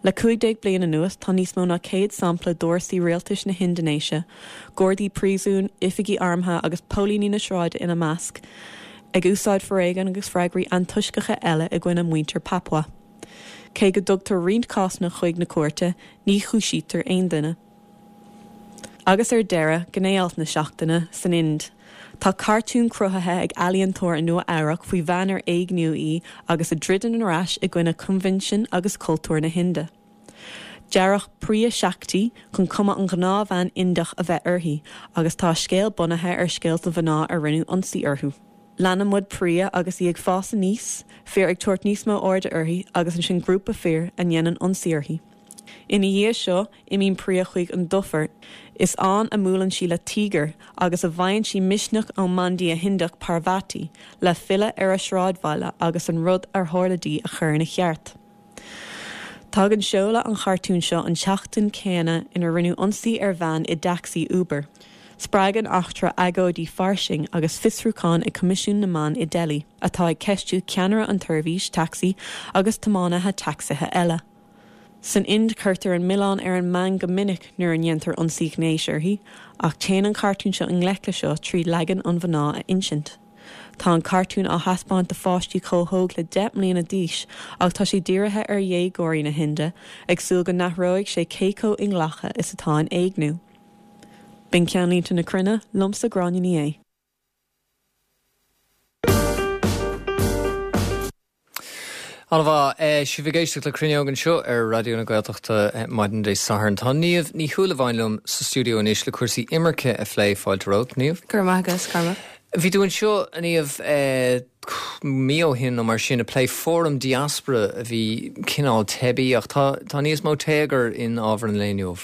Le 15 bliain anuas tá níos mó ná 100 sampla d'fhórsaí rialtais na hIndinéise, gardaí príosúin, oifigigh armtha agus póilíní na sráide ina measc, ag úsáid foréigin agus freagraí antoisceacha eile i gcoinne muintir Papua. Cé go dtugtar roinnt cásanna chuig na cúirte, ní chúisítear aon duine. Agus ar deireadh, gné-alt na seachtaine, san Ind. Tá cartún cruthaithe ag ealaíontóir i Nua Eabhrac faoi bhean ar éigníodh í agus a dtroideann ar ais i gcoinne coinbhinsin agus cultúr na hInde. Dearadh Priya Shakti chun cuma an ghnáthbhean Indiach a bheith uirthi agus tá a scéal bunaithe ar scéalta mhná ar rinneadh ionsaí orthu. Leanann muid Priya agus í ag fás aníos, fir ag tabhairt níos mó airde uirthi agus ansin grúpa fir a ndéanann ionsaí uirthi. Ina dhiaidh seo, imíonn Priya chuig an dufair. Is ann a mbuaileann sí le tíogar agus a bhfaigheann sí misneach ón mbandia Hindiach Parvati le filleadh ar a sráidbhaile agus an rud ar tharla di a chur ina cheart. Tagann seoladh an chartúin seo an tseachtain chéanna ina rinneadh ionsaí ar bhean i dtacsaí Uber. Spreag an eachtra agóidí fairsing agus fiosrúchán ag Coimisiún na mBan i Delhi, atá ag ceistiú ceannaire an tseirbhís tacsaí agus tiománaithe tacsaithe eile. San Ind cuirtear an milleán ar an mbean go minic nuair a ndéantar ionsaí gnéis uirthi, ach téann an cartún seo i ngleic le seo trí leagan an mhná a insint. Tá an cartún á thaispeáint do pháistí chomh hóg le 10 mbliana d'aois ach tá sé dírithe ar dhéagóirí na hInde, ag súil go n-athróidh sé cé chomh inghlactha is atá an éigniú. B'in Ceannlínte na Cruinne, liomsa Gráinne Ní Aodha. An-mhaith. Sibh ag éisteacht le Cruinneog anseo ar Raidió na Gaeltachta maidin Dé Sathairn. Tá Niamh Ní Shúilleabháin liom sa stiúideo anois le cúrsaí imirce a phlé. Fáilte romhat, Niamh. Go raibh maith agat, Cormac. Bhí tú anseo, a Niamh, mí ó shin nó mar sin ag plé fóram diaspora a bhí cineál teibí ach tá tá níos mó téagair in ábhar an lae inniu.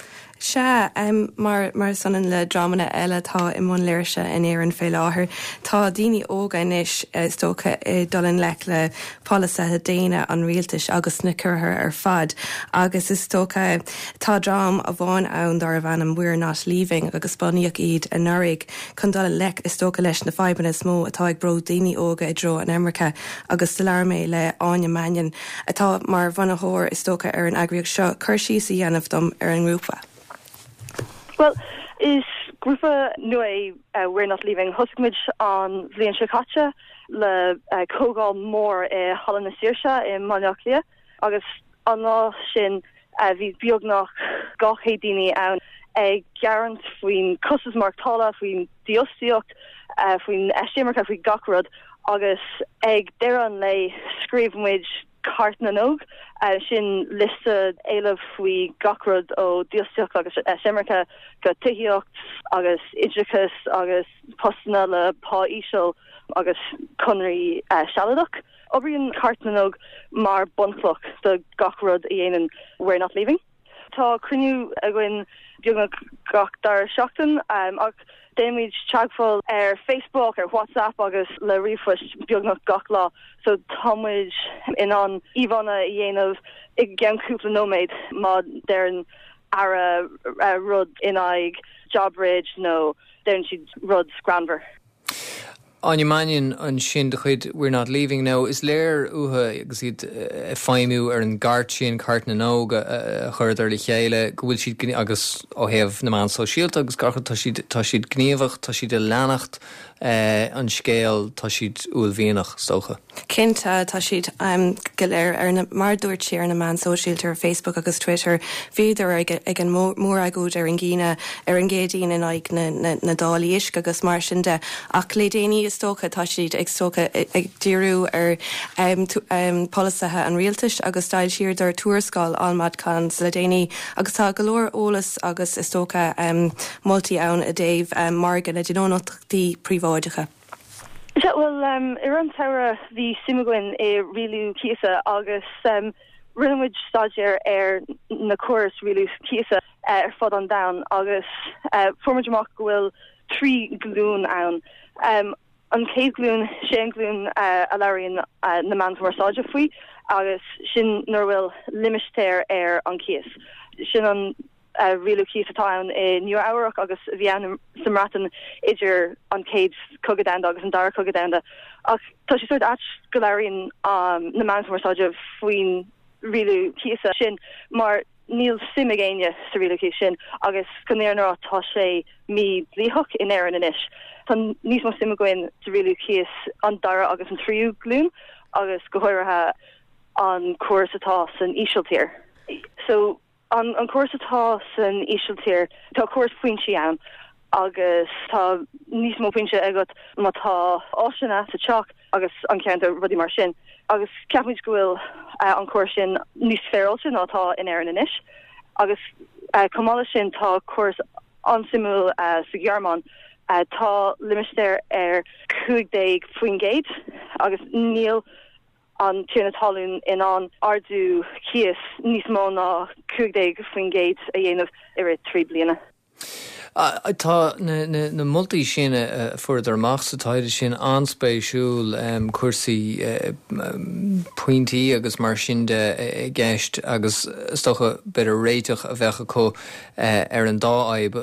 Sea, mar mar is ionann le dreamanna eile atá i mbun léirsithe in Éirinn fé láthair, tá daoine óga anois, is dócha, ag dul i ngleic le polasaithe déine an rialtais agus na ciorruithe ar fad. Agus is dócha, tá dream amháin ann darbh ainm We're Not Leaving agus bunaíodh iad anuraidh chun dul i ngleic, is dócha, leis na fadhbanna is mó atá ag brú daoine óga i dtreo an imirce. Agus do labhair mé le Áine Mannion, atá mar bhunaitheoir, is dócha, ar an eagraíocht seo, cur síos a dhéanamh dom ar an ngrúpa. Bhuel, is grúpa nua é We're Not Leaving. Thosaigh muid an bhliain seo caite le comhdháil mór i Halla na Saoirse i mBaile Átha Cliath agus an lá sin bhí beagnach 200 daoine ann ag gearán faoin costas maireachtála, faoin dífhostaíocht, faoin eisimirce, faoi gach rud agus ag deireadh an lae scríobh muid Cairt na nÓg, sin liosta éileamh faoi gach rud ó dhífhostaíocht agus eisimirce go tithíocht agus oideachas agus postanna le pá íseal agus conraí sealadach. Oibríonn Cairt na nÓg mar bunchloch do gach rud a dhéanann We're Not Leaving. Tá cruinniú againn beagnach gach dara seachtain ach déanaimid teagmháil ar Facebook, ar WhatsApp agus le ríomhphoist beagnach gach lá so tá muid in ann íomhánna a dhéanamh i gceann cúpla nóiméad má deireann aire rud in aghaidh JobBridge nó deireann siad rud greannmhar. Áine Mannion ansin de chuid We're Not Leaving Now. Is léir uathu agus iad ag feidhmiú ar an gcairt sin, Cairt na nÓg a chuireadar le chéile, go bhfuil siad, agus ó thaobh na meán sóisialta agus gach rud, tá siad, tá siad gníomhach, tá siad ag leanacht an scéil, tá siad uaillmhianach, is dócha. Cinnte, tá siad go léir ar na, mar a dúirt sí, ar na meáin sóisialta, ar Facebook agus Twitter. Bhíodar ag an móragóid ar an gCaoine, ar an gCéadaoin in aghaidh na dtáillí uisce agus mar sin de. Ach le déanaí, is dócha, tá siad is dócha ag díriú ar pholasaithe an rialtais agus d'fhoilsíodar tuarascáil Almad Cons le déanaí agus tá go leor eolas agus is dócha moltaí ann i dtaobh margadh na dtionóntachtaí príobháideacha. Sea, bhuel, i rith an tsamhraidh bhí suim againn i rialú cíosa agus rinne muid staidéar ar na córais rialú cíosa ar fud an domhain agus fuair muid amach go bhfuil 3 glúin ann. An chéad ghlúin, sé an ghlúin a labhraíonn na meáin chumarsáide faoi agus sin nuair a bhfuil limistéar ar an cíos. Sin an rialú cíos atá ann i Nua Eabhrac agus a bhí ann sa mBreatain idir an Chéad Chogadh Domhanda agus an Dara Cogadh Domhanda. Ach tá sé sórt ait go labhraíonn na meáin chumarsáide faoin rialú cíosa sin mar níl suim ag éinne sa rialú cíos sin agus chun an fhírinne a rá tá sé mídhlítheach in Éirinn anois. Tá níos mó suim againn sa rialú cíos an dara agus an tríú glúin agus go háirithe an córas atá san Ísiltír. So An córas atá san Ísiltír, tá córas pointí ann agus tá níos mó pointe agat má tá áiseanna sa teach agus an ceantar, rudaí mar sin. Agus ceapaimid go bhfuil an córas sin níos féaráilte ná atá in Éirinn anois. Agus chomh maith leis sin tá córas an-suimiúil sa Ghearmáin. Tá limistéar ar 15% agus níl an tiarna talún in ann ardú cíos níos mó ná 15% a dhéanamh i rith 3 bliana. Tá na moltaí sin a fuaireadar amach sa taighde sin an-spéisiúil, cúrsaí pointí agus mar sin de i gceist agus is dócha b'fhéidir réiteach a bheadh acu ar an dá fhadhb,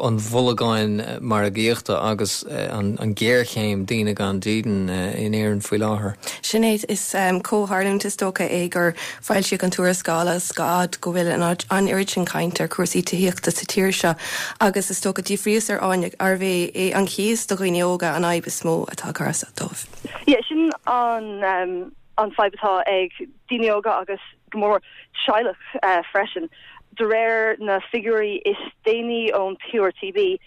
an bholgán margaíochta agus an ghéarchéim daoine gan dídean in Éirinn faoi láthair. Sin é, is comhtharlúint is dócha é gur foilsíodh an tuarascáil agus fad go bhfuil an oiread sin cainte ar chúrsaí tithíochta sa tír seo agus is dócha d'fhiafraíos ar Áine arbh é an cíos do dhaoine óga an fhadhb is mó atá ag cur as dóibh. Yeah, sin an fadhb atá ag daoine óga agus go mór mór teaghlach freisin. De réir na figiúirí is déanaí ón PRTB,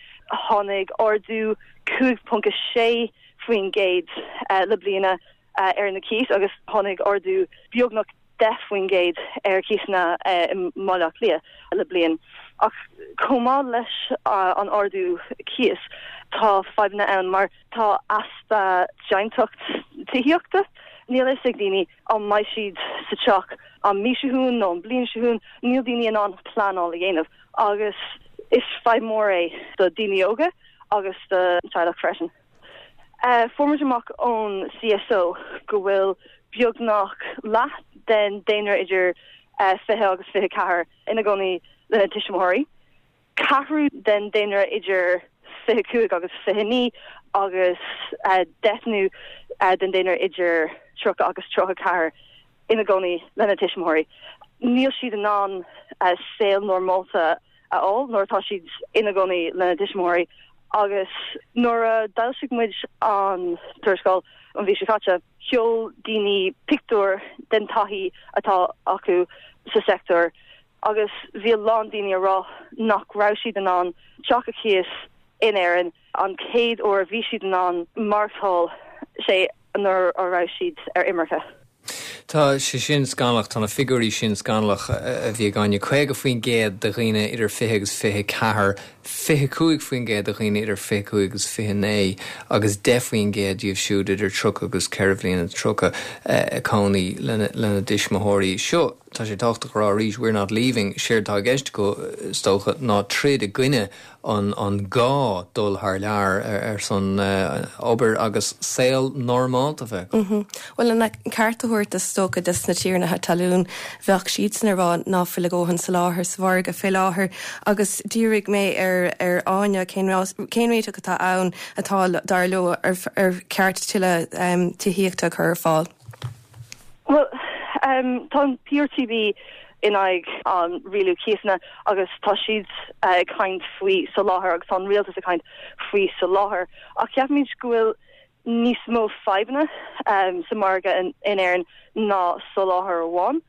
tháinig ardú 5.6% le bliana. ar na cíos agus tháinig ardú beagnach 10% ar chíosanna i mBaile Átha Cliath le bliain. Ach chomh maith leis an ardú cíos, tá fadhbanna ann mar tá easpa deimhneacht tithíochta. Níl a fhios ag daoine an mbeidh siad sa teach an mí seo chugainn nó an bliain seo chugainn, níl daoine in ann pleanáil a dhéanamh agus is fadhb mór é do daoine óga agus do teaghlach freisin. Fuair muid amach ón CSO go bhfuil beagnach leath den daonra idir 20 agus 24 ina gcónaí lena tuismitheoirí, ceathrú den daonra idir 25 agus 29 agus deichniú den daonra idir 30 agus 34 ina gcónaí lena tuismitheoirí. Níl siad in ann saol normálta a fháil nuair atá siad ina gcónaí lena dtuismitheoirí agus nuair a d'fhoilsigh muid an tuarascáil an mhí seo caite, sheol daoine pictiúir den taithí atá acu sa sector agus bhí a lán daoine a rá nach raibh siad in ann teach a chíos in Éirinn an chéad uair a bhí siad in ann maireachtáil sé nuair a raibh siad ar imirce. Tá sé sin scannalach, tá na figiúirí sin scannalach a bhí ag Áine. 50% de dhaoine idir 20 agus 24, 25% de dhaoine idir 25 agus 29 agus 10% díobh siúd idir 30 agus 4 bhliana 30 ag cónaí lena dtuismitheoirí. Seo, tá sé tábhachtach a rá arís, we're not leaving, séard atá i gceist acu, is dócha, ná troid i gcoinne an gá dul thar lear ar son obair agus saol normálta a bheith acu. Bhuel, lena ceart a thabhairt is dócha dos na tiarnaithe talún, bheadh siadsan ag rá ná fuil a dhóthain soláthair sa mhargadh fé láthair agus d'fhiafraigh mé ar ar Áine cén cén réiteach atá ann atá, dar leo, ar ar cheart tuilleadh tithíochta a chur ar fáil. Bhuel, tá an PRTB in aghaidh an rialú cíosanna agus tá siad ag caint faoi soláthar agus tá an rialtas ag caint faoi soláthar ach ceapaimid go bhfuil níos mó fadhbanna sa margadh in Éirinn ná soláthar amháin.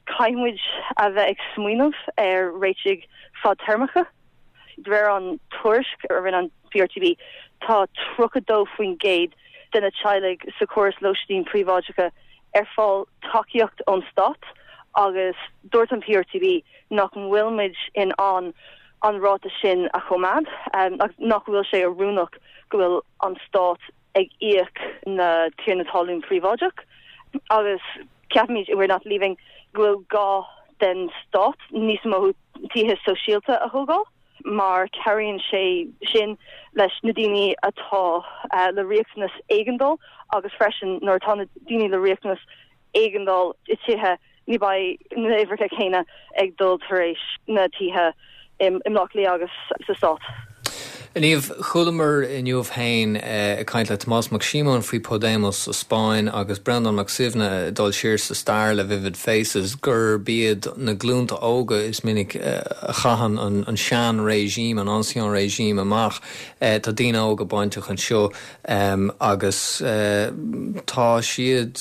Caithfidh muid a bheith ag smaoineamh ar réitigh fadtéarmacha. De réir an tuairisc a rinne an PRTB, tá 32% de na teaghlaigh sa chóras lóistín príobháideacha ar fáil tacaíocht ón stát agus dúirt an PRTB nach bhfuil muid in ann an ráta sin a choimeád agus nach bhfuil sé oiriúnach go bhfuil an stát ag íoc na tiarna talún príobháideach agus ceapaimid i We're Not Leaving go bhfuil gá den stát níos mó tithe sóisialta a thógáil mar cabhraíonn sé sin leis na daoine atá le riachtanas éigeandáil agus freisin nuair atá na daoine le riachtanas éigeandáil i tithe ní beidh na uimhreacha céanna ag dul tar éis na tithe i mBleá Cliath agus sa Stát. A Niamh, chualamar inniu féin ag caint le Tomás Mac Síomóin faoi Podemos sa Spáinn agus Breandán Mac Suibhne ag dul siar sa stair le Vivid Faces gurb iad na glúnta óga is minic a chaitheann an sean-regime, an ancien régime amach. Tá daoine óga bainteach anseo. Agus tá siad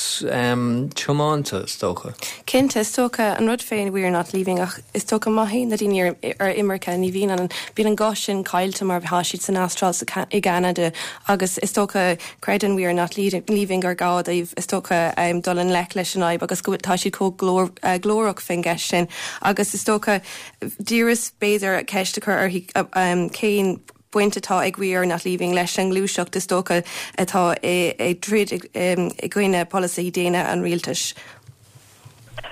tiomáinte, is dócha. Cinnte, is dócha, an rud fén We are not leaving ach is dócha má théann na daoine ar imirce ní bhíonn an, bíonn an guth sin caillte mar tá siad san Astráil, sa, i gCeanada agus is dócha creideann We are not leaving gur gá dóibh is dócha dul i ngleic leis an fhadhb agus go bhfuil, tá siad chomh glór, glórach fén gceist sin agus is dócha d'iarras b'fhéidir ceist a chur uirthi cén baint atá ag We Are Not Leaving leis an ngluaiseacht is dócha atá ag troid i gcoinne polasaithe déine an rialtais.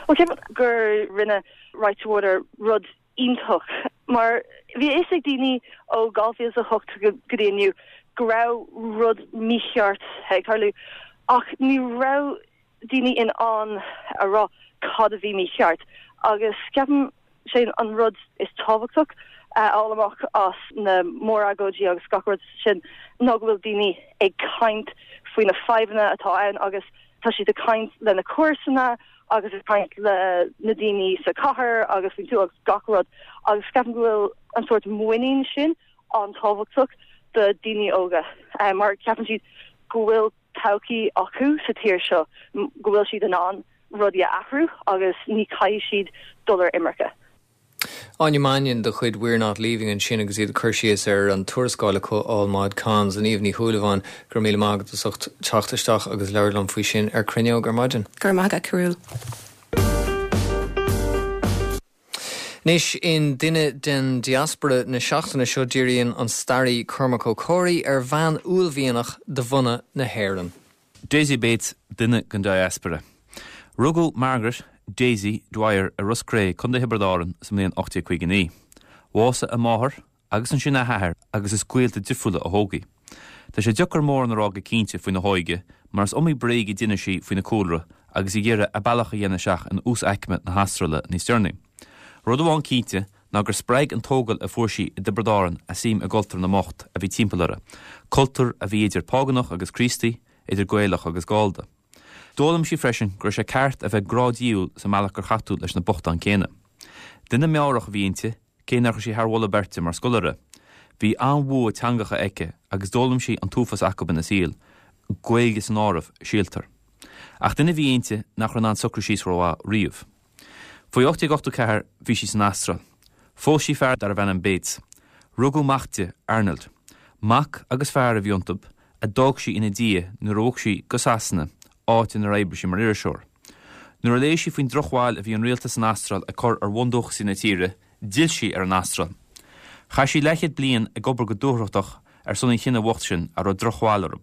Bhuel, ceapaim gur rinne Right to Water rud iontach mar bhí a fhios ag daoine ó 2008 go dtí inniu go raibh rud mícheart ag tarlú ach ní raibh daoine in ann a rá cad a bhí mícheart agus ceapaim sé an rud is tábhachtach a fháil amach as na mór-agóidí agus gach rud sin ná go bhfuil daoine ag caint faoi na fadhbanna atá ann agus tá siad ag caint lena comharsana agus ag caint le na daoine sa chathair agus faoin tuath agus gach rud agus ceapaim go bhfuil an sórt muinín sin an-tábhachtach do daoine óga mar ceapann siad go bhfuil todhchaí acu sa tír seo, go bhfuil siad in ann rudaí a athrú agus ní caithfidh siad dul ar imirce. Áine Mannion de chuid We're Not Leaving ansin agus iad ag cur síos ar an tuarascáil acu All Mod Cons. A Niamh Ní Shúilleabháin, go raibh míle maith agat as ucht teacht isteach agus labhairt liom faoi sin ar Cruinneog ar maidin. Go raibh maith agat, Cearbhall. Anois, in Duine den Diaspora na seachtaine seo, díríonn an staraí Cormac Ó Comhraí ar bhean uaillmhianach de bhunadh na hÉireann. Daisy Bates, duine den diaspora. Rugadh Margaret, Daisy, Dwyer i Ros Cré, Contae Thiobraid Árann sa mbliain 1859. Bhásaigh a máthair agus ansin a hathair agus is gaolta difriúla a thóg í. Tá sé deacair mórán a rá go cinnte faoina hóige mar is iomaí bréag a d'inis sí faoina cúlra agus í ag iarraidh a bealach a dhéanamh isteach in uasaicme na hAstráile níos deireanaí. Rud amháin cinnte ná gur spreag an tógáil a fuair sí i dTiobraid Árann a suim i gcultúr na mbocht a bhí timpeall uirthi, cultúr a bhí idir phágánach agus Críostaí, idir Gaelach agus Gallda. D'fhoghlaim sí freisin go raibh sé ceart a bheith grádiail sa mbealach gur chaith tú leis na bochtáin céanna. Duine meabhrach a bhí inti, cé nár chuir sí thar mholadh beirte mar scoláire. Bhí an-bhua teangacha aici agus d'fhoghlaim sí an t-uafás acu ina saol, Gaeilge san áireamh, síltear. Ach duine a bhí inti nach raibh in ann socrú síos rómhaith riamh. Faoi 1884 bhí sí san Astráil. Phós sí fear darbh ainm Bates. Rugadh mac di, Arnold. Mac agus fear a bhí iontu, a d'fhág sí ina diaidh nuair a bhog sí go Sasana, áit inar oibrigh sí mar iriseoir. Nuair a léigh sí faoin drochbhail a bhí an rialtas san Astráil ag cur ar bhundúchasaigh na tíre, d'fhill sí ar an Astráil. Chaith sí leathchéad bliain ag obair go dúthrachtach ar son an chine bhoicht sin a raibh drochbhail orthu.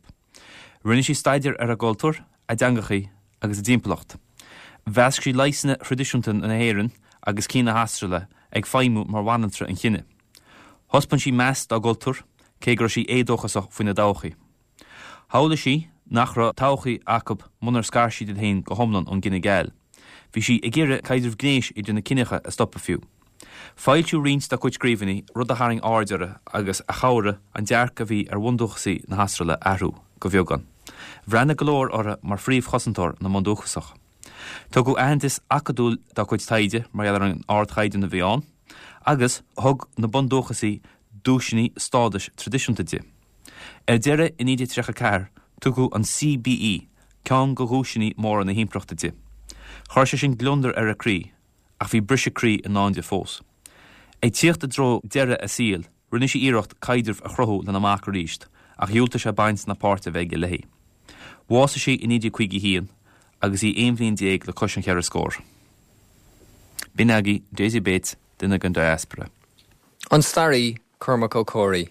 Rinne sí staidéar ar a gcultúr, a dteangachaí agus a dtimpeallacht. Mheasc sí leigheasanna thraidisiúnta na hÉireann agus cinn na hAstráile ag feidhmiú mar bhanaltra an chine. Thaispeáin sí meas dá gcultúr, cé go raibh sí éadóchasach faoina dtodhchaí. Shamhlaigh sí nach raibh todhchaí acu munar scar siad iad féin go hiomlán ón gcine geal. Bhí sí ag iarraidh caidreamh gnéis idir na ciníocha a stopadh fiú. Foilsíodh roinnt dá cuid scríbhinní, rud a tharraing aird uirthi agus a chabhraigh an dearcadh a bhí ar bhundúchasaigh na hAstráile a athrú, go bheagán. Bhreathnaigh go leor uirthi mar phríomhchosantóir na mbundúchasach. Tugadh aitheantas acadúil dá cuid taighde mar gheall ar an ardchaighdeán a bhí ann, agus thug na bundúchasaigh duaiseanna stádais traidisiúnta di. Ar deireadh, i 1934, tugadh an CBE, ceann de dhuaiseanna móra na himpireachta di. Chuir sé sin gliondar ar a croí, ach bhí briseadh croí i ndán di fós. Ag tíocht i dtreo deireadh a saoil, rinne sí iarracht caidreamh a chruthú lena mac arís, ach dhiúltaigh sé baint ná páirt a bheith aige léi. Bhásaigh sí i 1951 agus í 11 bhliain le cois an cheithre scór. B'in agaibh Daisy Bates, duine den diaspora. An staraí, Cormac Ó Comhraí.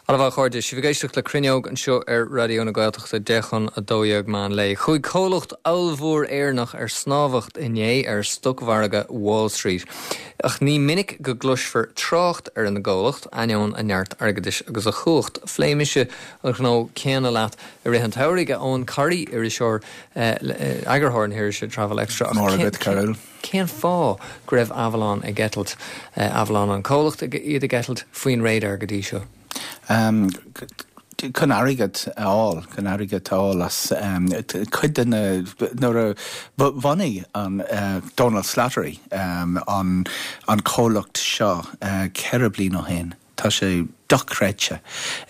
Ana mhaith a chairde, sibh ag éisteacht le Cruinneog anseo ar Raidió na Gaeltachta, 10 chun 12 meán lae. Chuaigh comhlacht ollmhór Éireannach ar snámhacht inné ar stocmhargadh Wall Street. Ach ní minic go gcloisfear trácht ar an gcomhlacht, ainneoin a neart airgeadais agus a chumhacht. Phléigh mise an gnó céanna leat i rith an tsamhraidh, a Eoin Corry, iriseoir, eagarthóir na hirise Travel Extra. Móra agat, Cearbhall. Cén fáth go raibh Avalon ag eitilt, Avalon an comhlacht, iad ag eitilt faoin radar go dtí seo? Chun airgead a fháil, chun airgead a fháil as cuid de na, nuair a bhunaigh an Dónal Slattery an comhlacht seo 4 bliain ó shin, Tá sé dochreidte.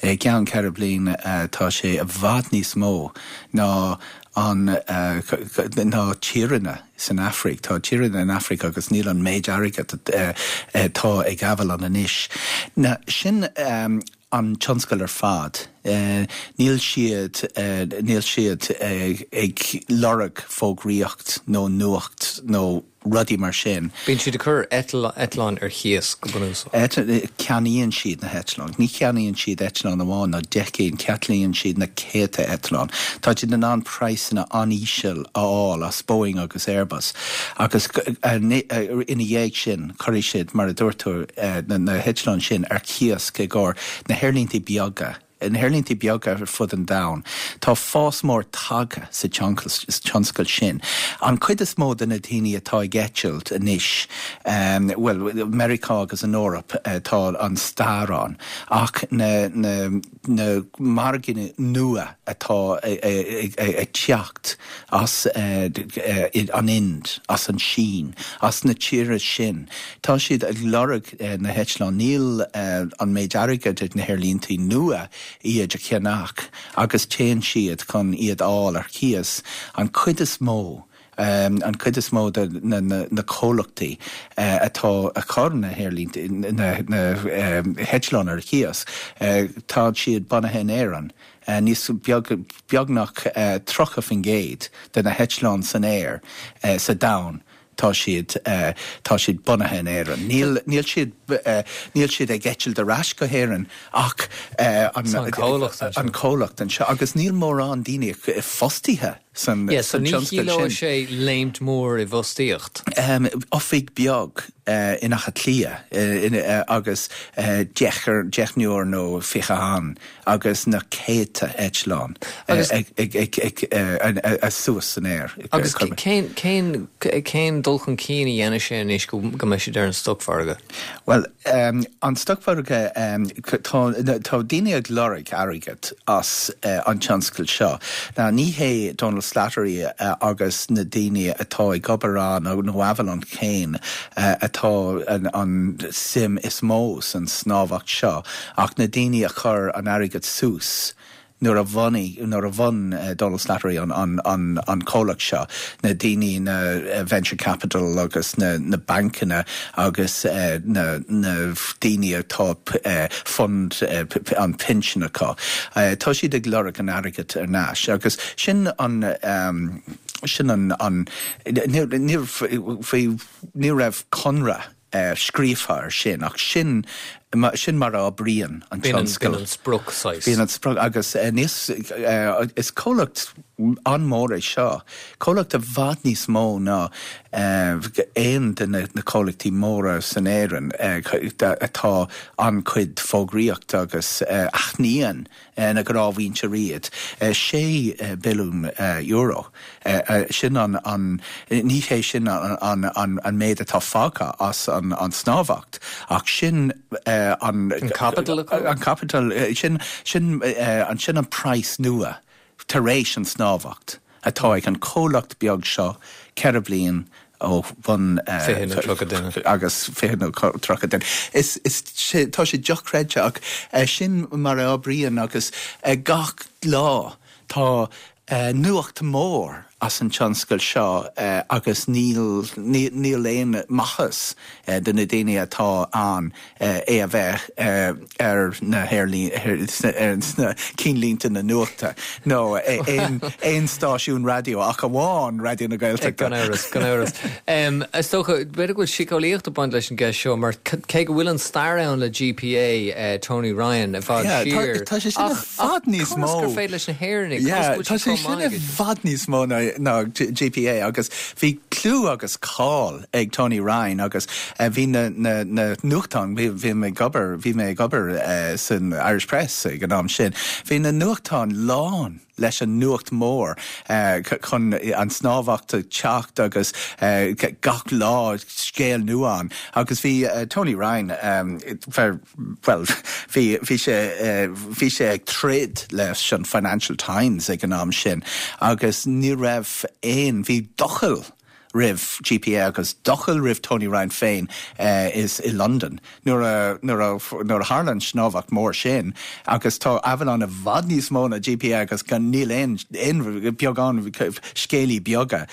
I gceann 4 bliain tá sé i bhfad níos mó ná an ná tíreanna san Afraic. Tá tíreanna in Afraic agus níl an méid airgead atá ag Avalon anois. Ná sin an tionscal ar fad. Níl siad níl siad ag lorg fógraíocht nó nuacht nó rudaí mar sin. Bíonn siad ag cur eitleáin ar chíos, go bunúsach. Ceannaíonn siad na heitleáin. Ní cheannaíonn siad eitleán amháin nó 10 gcinn, ceannaíonn siad na céadta eitleán. Tá siad in ann praghsanna an-íseal a fháil as Boeing agus Airbus agus ina dhiaidh sin cuirfidh siad, mar a dúirt tú, na heitleáin sin ar cíos i gcomhair na haerlínte beaga. Na haerlínte beaga ar fud an domhain, tá fás mór tagtha sa tionscal sin. An chuid is mó de na daoine atá ag eitilt anois, bhuel, Meiriceá agus an Eoraip, tá an stair ann, ach na margaí nua atá ag teacht as an Ind, as an Sín, as na tíortha sin, Tá siad ag lorg na heitleáin. Níl an méid airgid ag na haerlínte nua iad a cheannach agus téann siad chun iad a fháil ar cíos. An chuid is mó. An chuid is mó de na comhlachtaí atá ag cur na haerlínte, na heitleáin ar cíos, tá siad bunaithe in Éirinn. Níos beagnach 30% de na heitleáin san aer sa domhan tá siad tá siad bunaithe in Éirinn. Níl níl siad níl siad ag eitilt ar ais go hÉirinn ach an an comhlacht anseo agus níl mórán daoine fostaithe san Yeah, so ní tionscal sin. chiallóidh sé léimt mhór i bhfostaíocht. Oifig beag in Áth Cliath agus deichniúr nó 20 ann agus na céadta eitleán ag suas san aer. Agus cén cén dul chun cinn a dhéanfaidh sé anois go mbeidh siad ar an stocmhargadh? Bhuel, an stocmhargadh, tá daoine ag lorg airgead as an tionscal seo. Now, ní hé Donal Slattery agus na daoine atá ag obair ann, nó Avolon féin, atá an suim is mó san snámhacht seo, ach na daoine a chuir an airgead suas nuair a bhunaigh, nuair a bhun Donal Slattery an, an, an, an comhlacht seo, na daoine, na venture capital agus na, na bancanna agus na, na daoine atá fund an pinsean acu. Tá siad ag lorg an airgead ar n-ais agus sin an, sin an, an, ní, faoi, ní raibh conradh scríofa ar sin, ach sin, sin mar a oibríonn an tionscal. B'in an sprioc, saghas. B'in an sprioc agus níos, is comhlacht an-mhór é seo, comhlacht i bhfad níos mó ná aon de na comhlachtaí móra san Éirinn atá an-chuid fógraíocht agus aithníonn na gnáthmhuintir iad. €6 billiún. Sin an, ní hé sin an méid atá fágtha as an snámhacht ach sin an. An caipiteal acu? An caipiteal, sin, sin, sin an praghas nua tar éis an snámhacht atá ag an comhlacht beag seo 4 bliain ó bhun. 20 nó 30 duine. Agus 20 nó 30 duine. Is, is, tá sé dochreidte ach sin mar a oibríonn agus gach lá tá nuacht mór as an tionscal seo agus níl, níl aon maitheas do na daoine atá ann é a bheith ar na sna cinnlínte na nuachta nó aon stáisiún raidió ach amháin Raidió na Gaeltachta. Gan amhras, gan amhras. Is dócha, b'fhéidir go bhfuil síceolaíocht ag baint leis an gceist seo mar cé go bhfuil an stair ann le GPA, Tony Ryan, i bhfad siar. Tá sé sin i bhfad níos mó. Conas gur féidir leis na hÉireannaigh, conas go bhfuil siad chomh maith? Tá sé sin i bhfad níos mó ná GPA agus bhí clú agus cáil ag Tony Ryan agus bhí na na na nuachtáin, bhí bhí mé ag obair, bhí mé ag obair san Irish Press ag an am sin, bhí na nuachtáin lán leis an nuacht mór chun an snámhacht ag teacht agus gach lá scéal nua ann agus bhí Tony Ryan fear bhuel bhí bhí sé bhí sé ag troid leis an Financial Times ag an am sin agus ní raibh aon, bhí doicheall roimh GPA agus doicheall roimh Tony Ryan féin is i Londain nuair a nuair a nuair a tharla an snámhacht mór sin agus tá Avolon i bhfad níos mó ná GPA agus gan níl aon aon beagán scéalaí beaga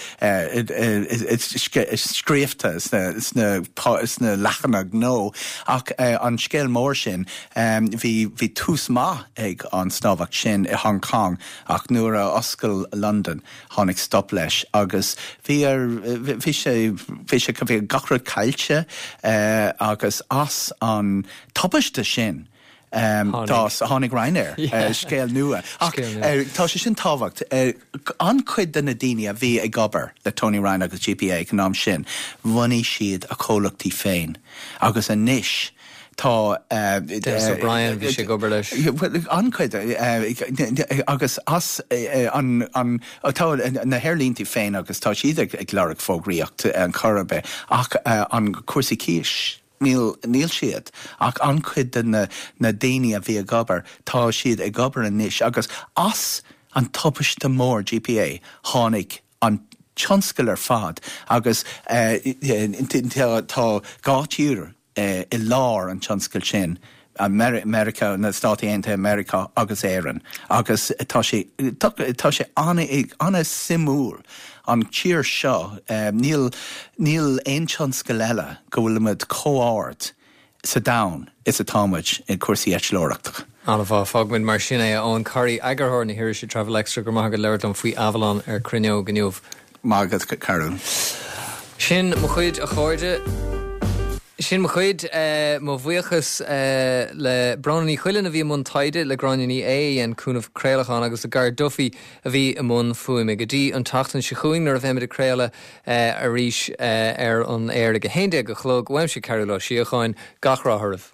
scríofa sna sna sna leathanaigh gnó ach an scéal mór sin bhí bhí tús maith ag an snámhacht sin i Hong Kong ach nuair a oscail Londain Tháinig stop leis agus bhí ar, bhí sé, bhí sé, bhí gach rud caillte agus as an tubaiste sin d'fhás, tháinig Ryanair, scéal nua. Ach tá sé sin tábhacht, an-chuid de na daoine a bhí ag obair le Tony Ryan agus GPA ag an am sin, bhunaigh siad a comhlachtaí féin agus anois, Tá. Denis O'Brien, bhí sé ag obair leis. An-chuid agus as an, tá na haerlínte féin agus tá siad ag lorg fógraíocht ar chor ar bith ach an cúrsaí cíos, níl, níl siad ach an-chuid de na daoine a bhí ag obair, tá siad ag obair anois agus as an tubaiste mór GPA tháinig an tionscal ar fad agus tá dhá tír i lár an tionscail sin. Meiriceá, na Stáit Aontaithe Meiriceá agus Éirinn agus tá sé tá sé an-suimiúil an tír seo níl níl aon tionscal eile go bhfuilimid chomh ard sa domhan is atá muid i cúrsaí eitleoireachta. An-mhaith. Fágfaimid mar sin é. A Eoghan Corry, eagarthóir na hirise Travel Extra, go raibh maith agat labhairt liom faoi Avalon ar Cruinneog inniu. Maith agat, Cearbhall. Sin mo chuid, a chairde. Sin mo chuid. Mo bhuíochas le Bróna Ní Chuilinn a bhí i mbun taighde, le Gráinne Ní Aodha a dhein cúnamh craolacháin agus le Gar Duffy a bhí i mbun fuaime. Go dtí an tseachtain seo chugainn nuair a bheimid ag craoladh arís ar an aer ag 11 a chlog, uaimse Cearbhall Ó Síocháin, gach rath oraibh.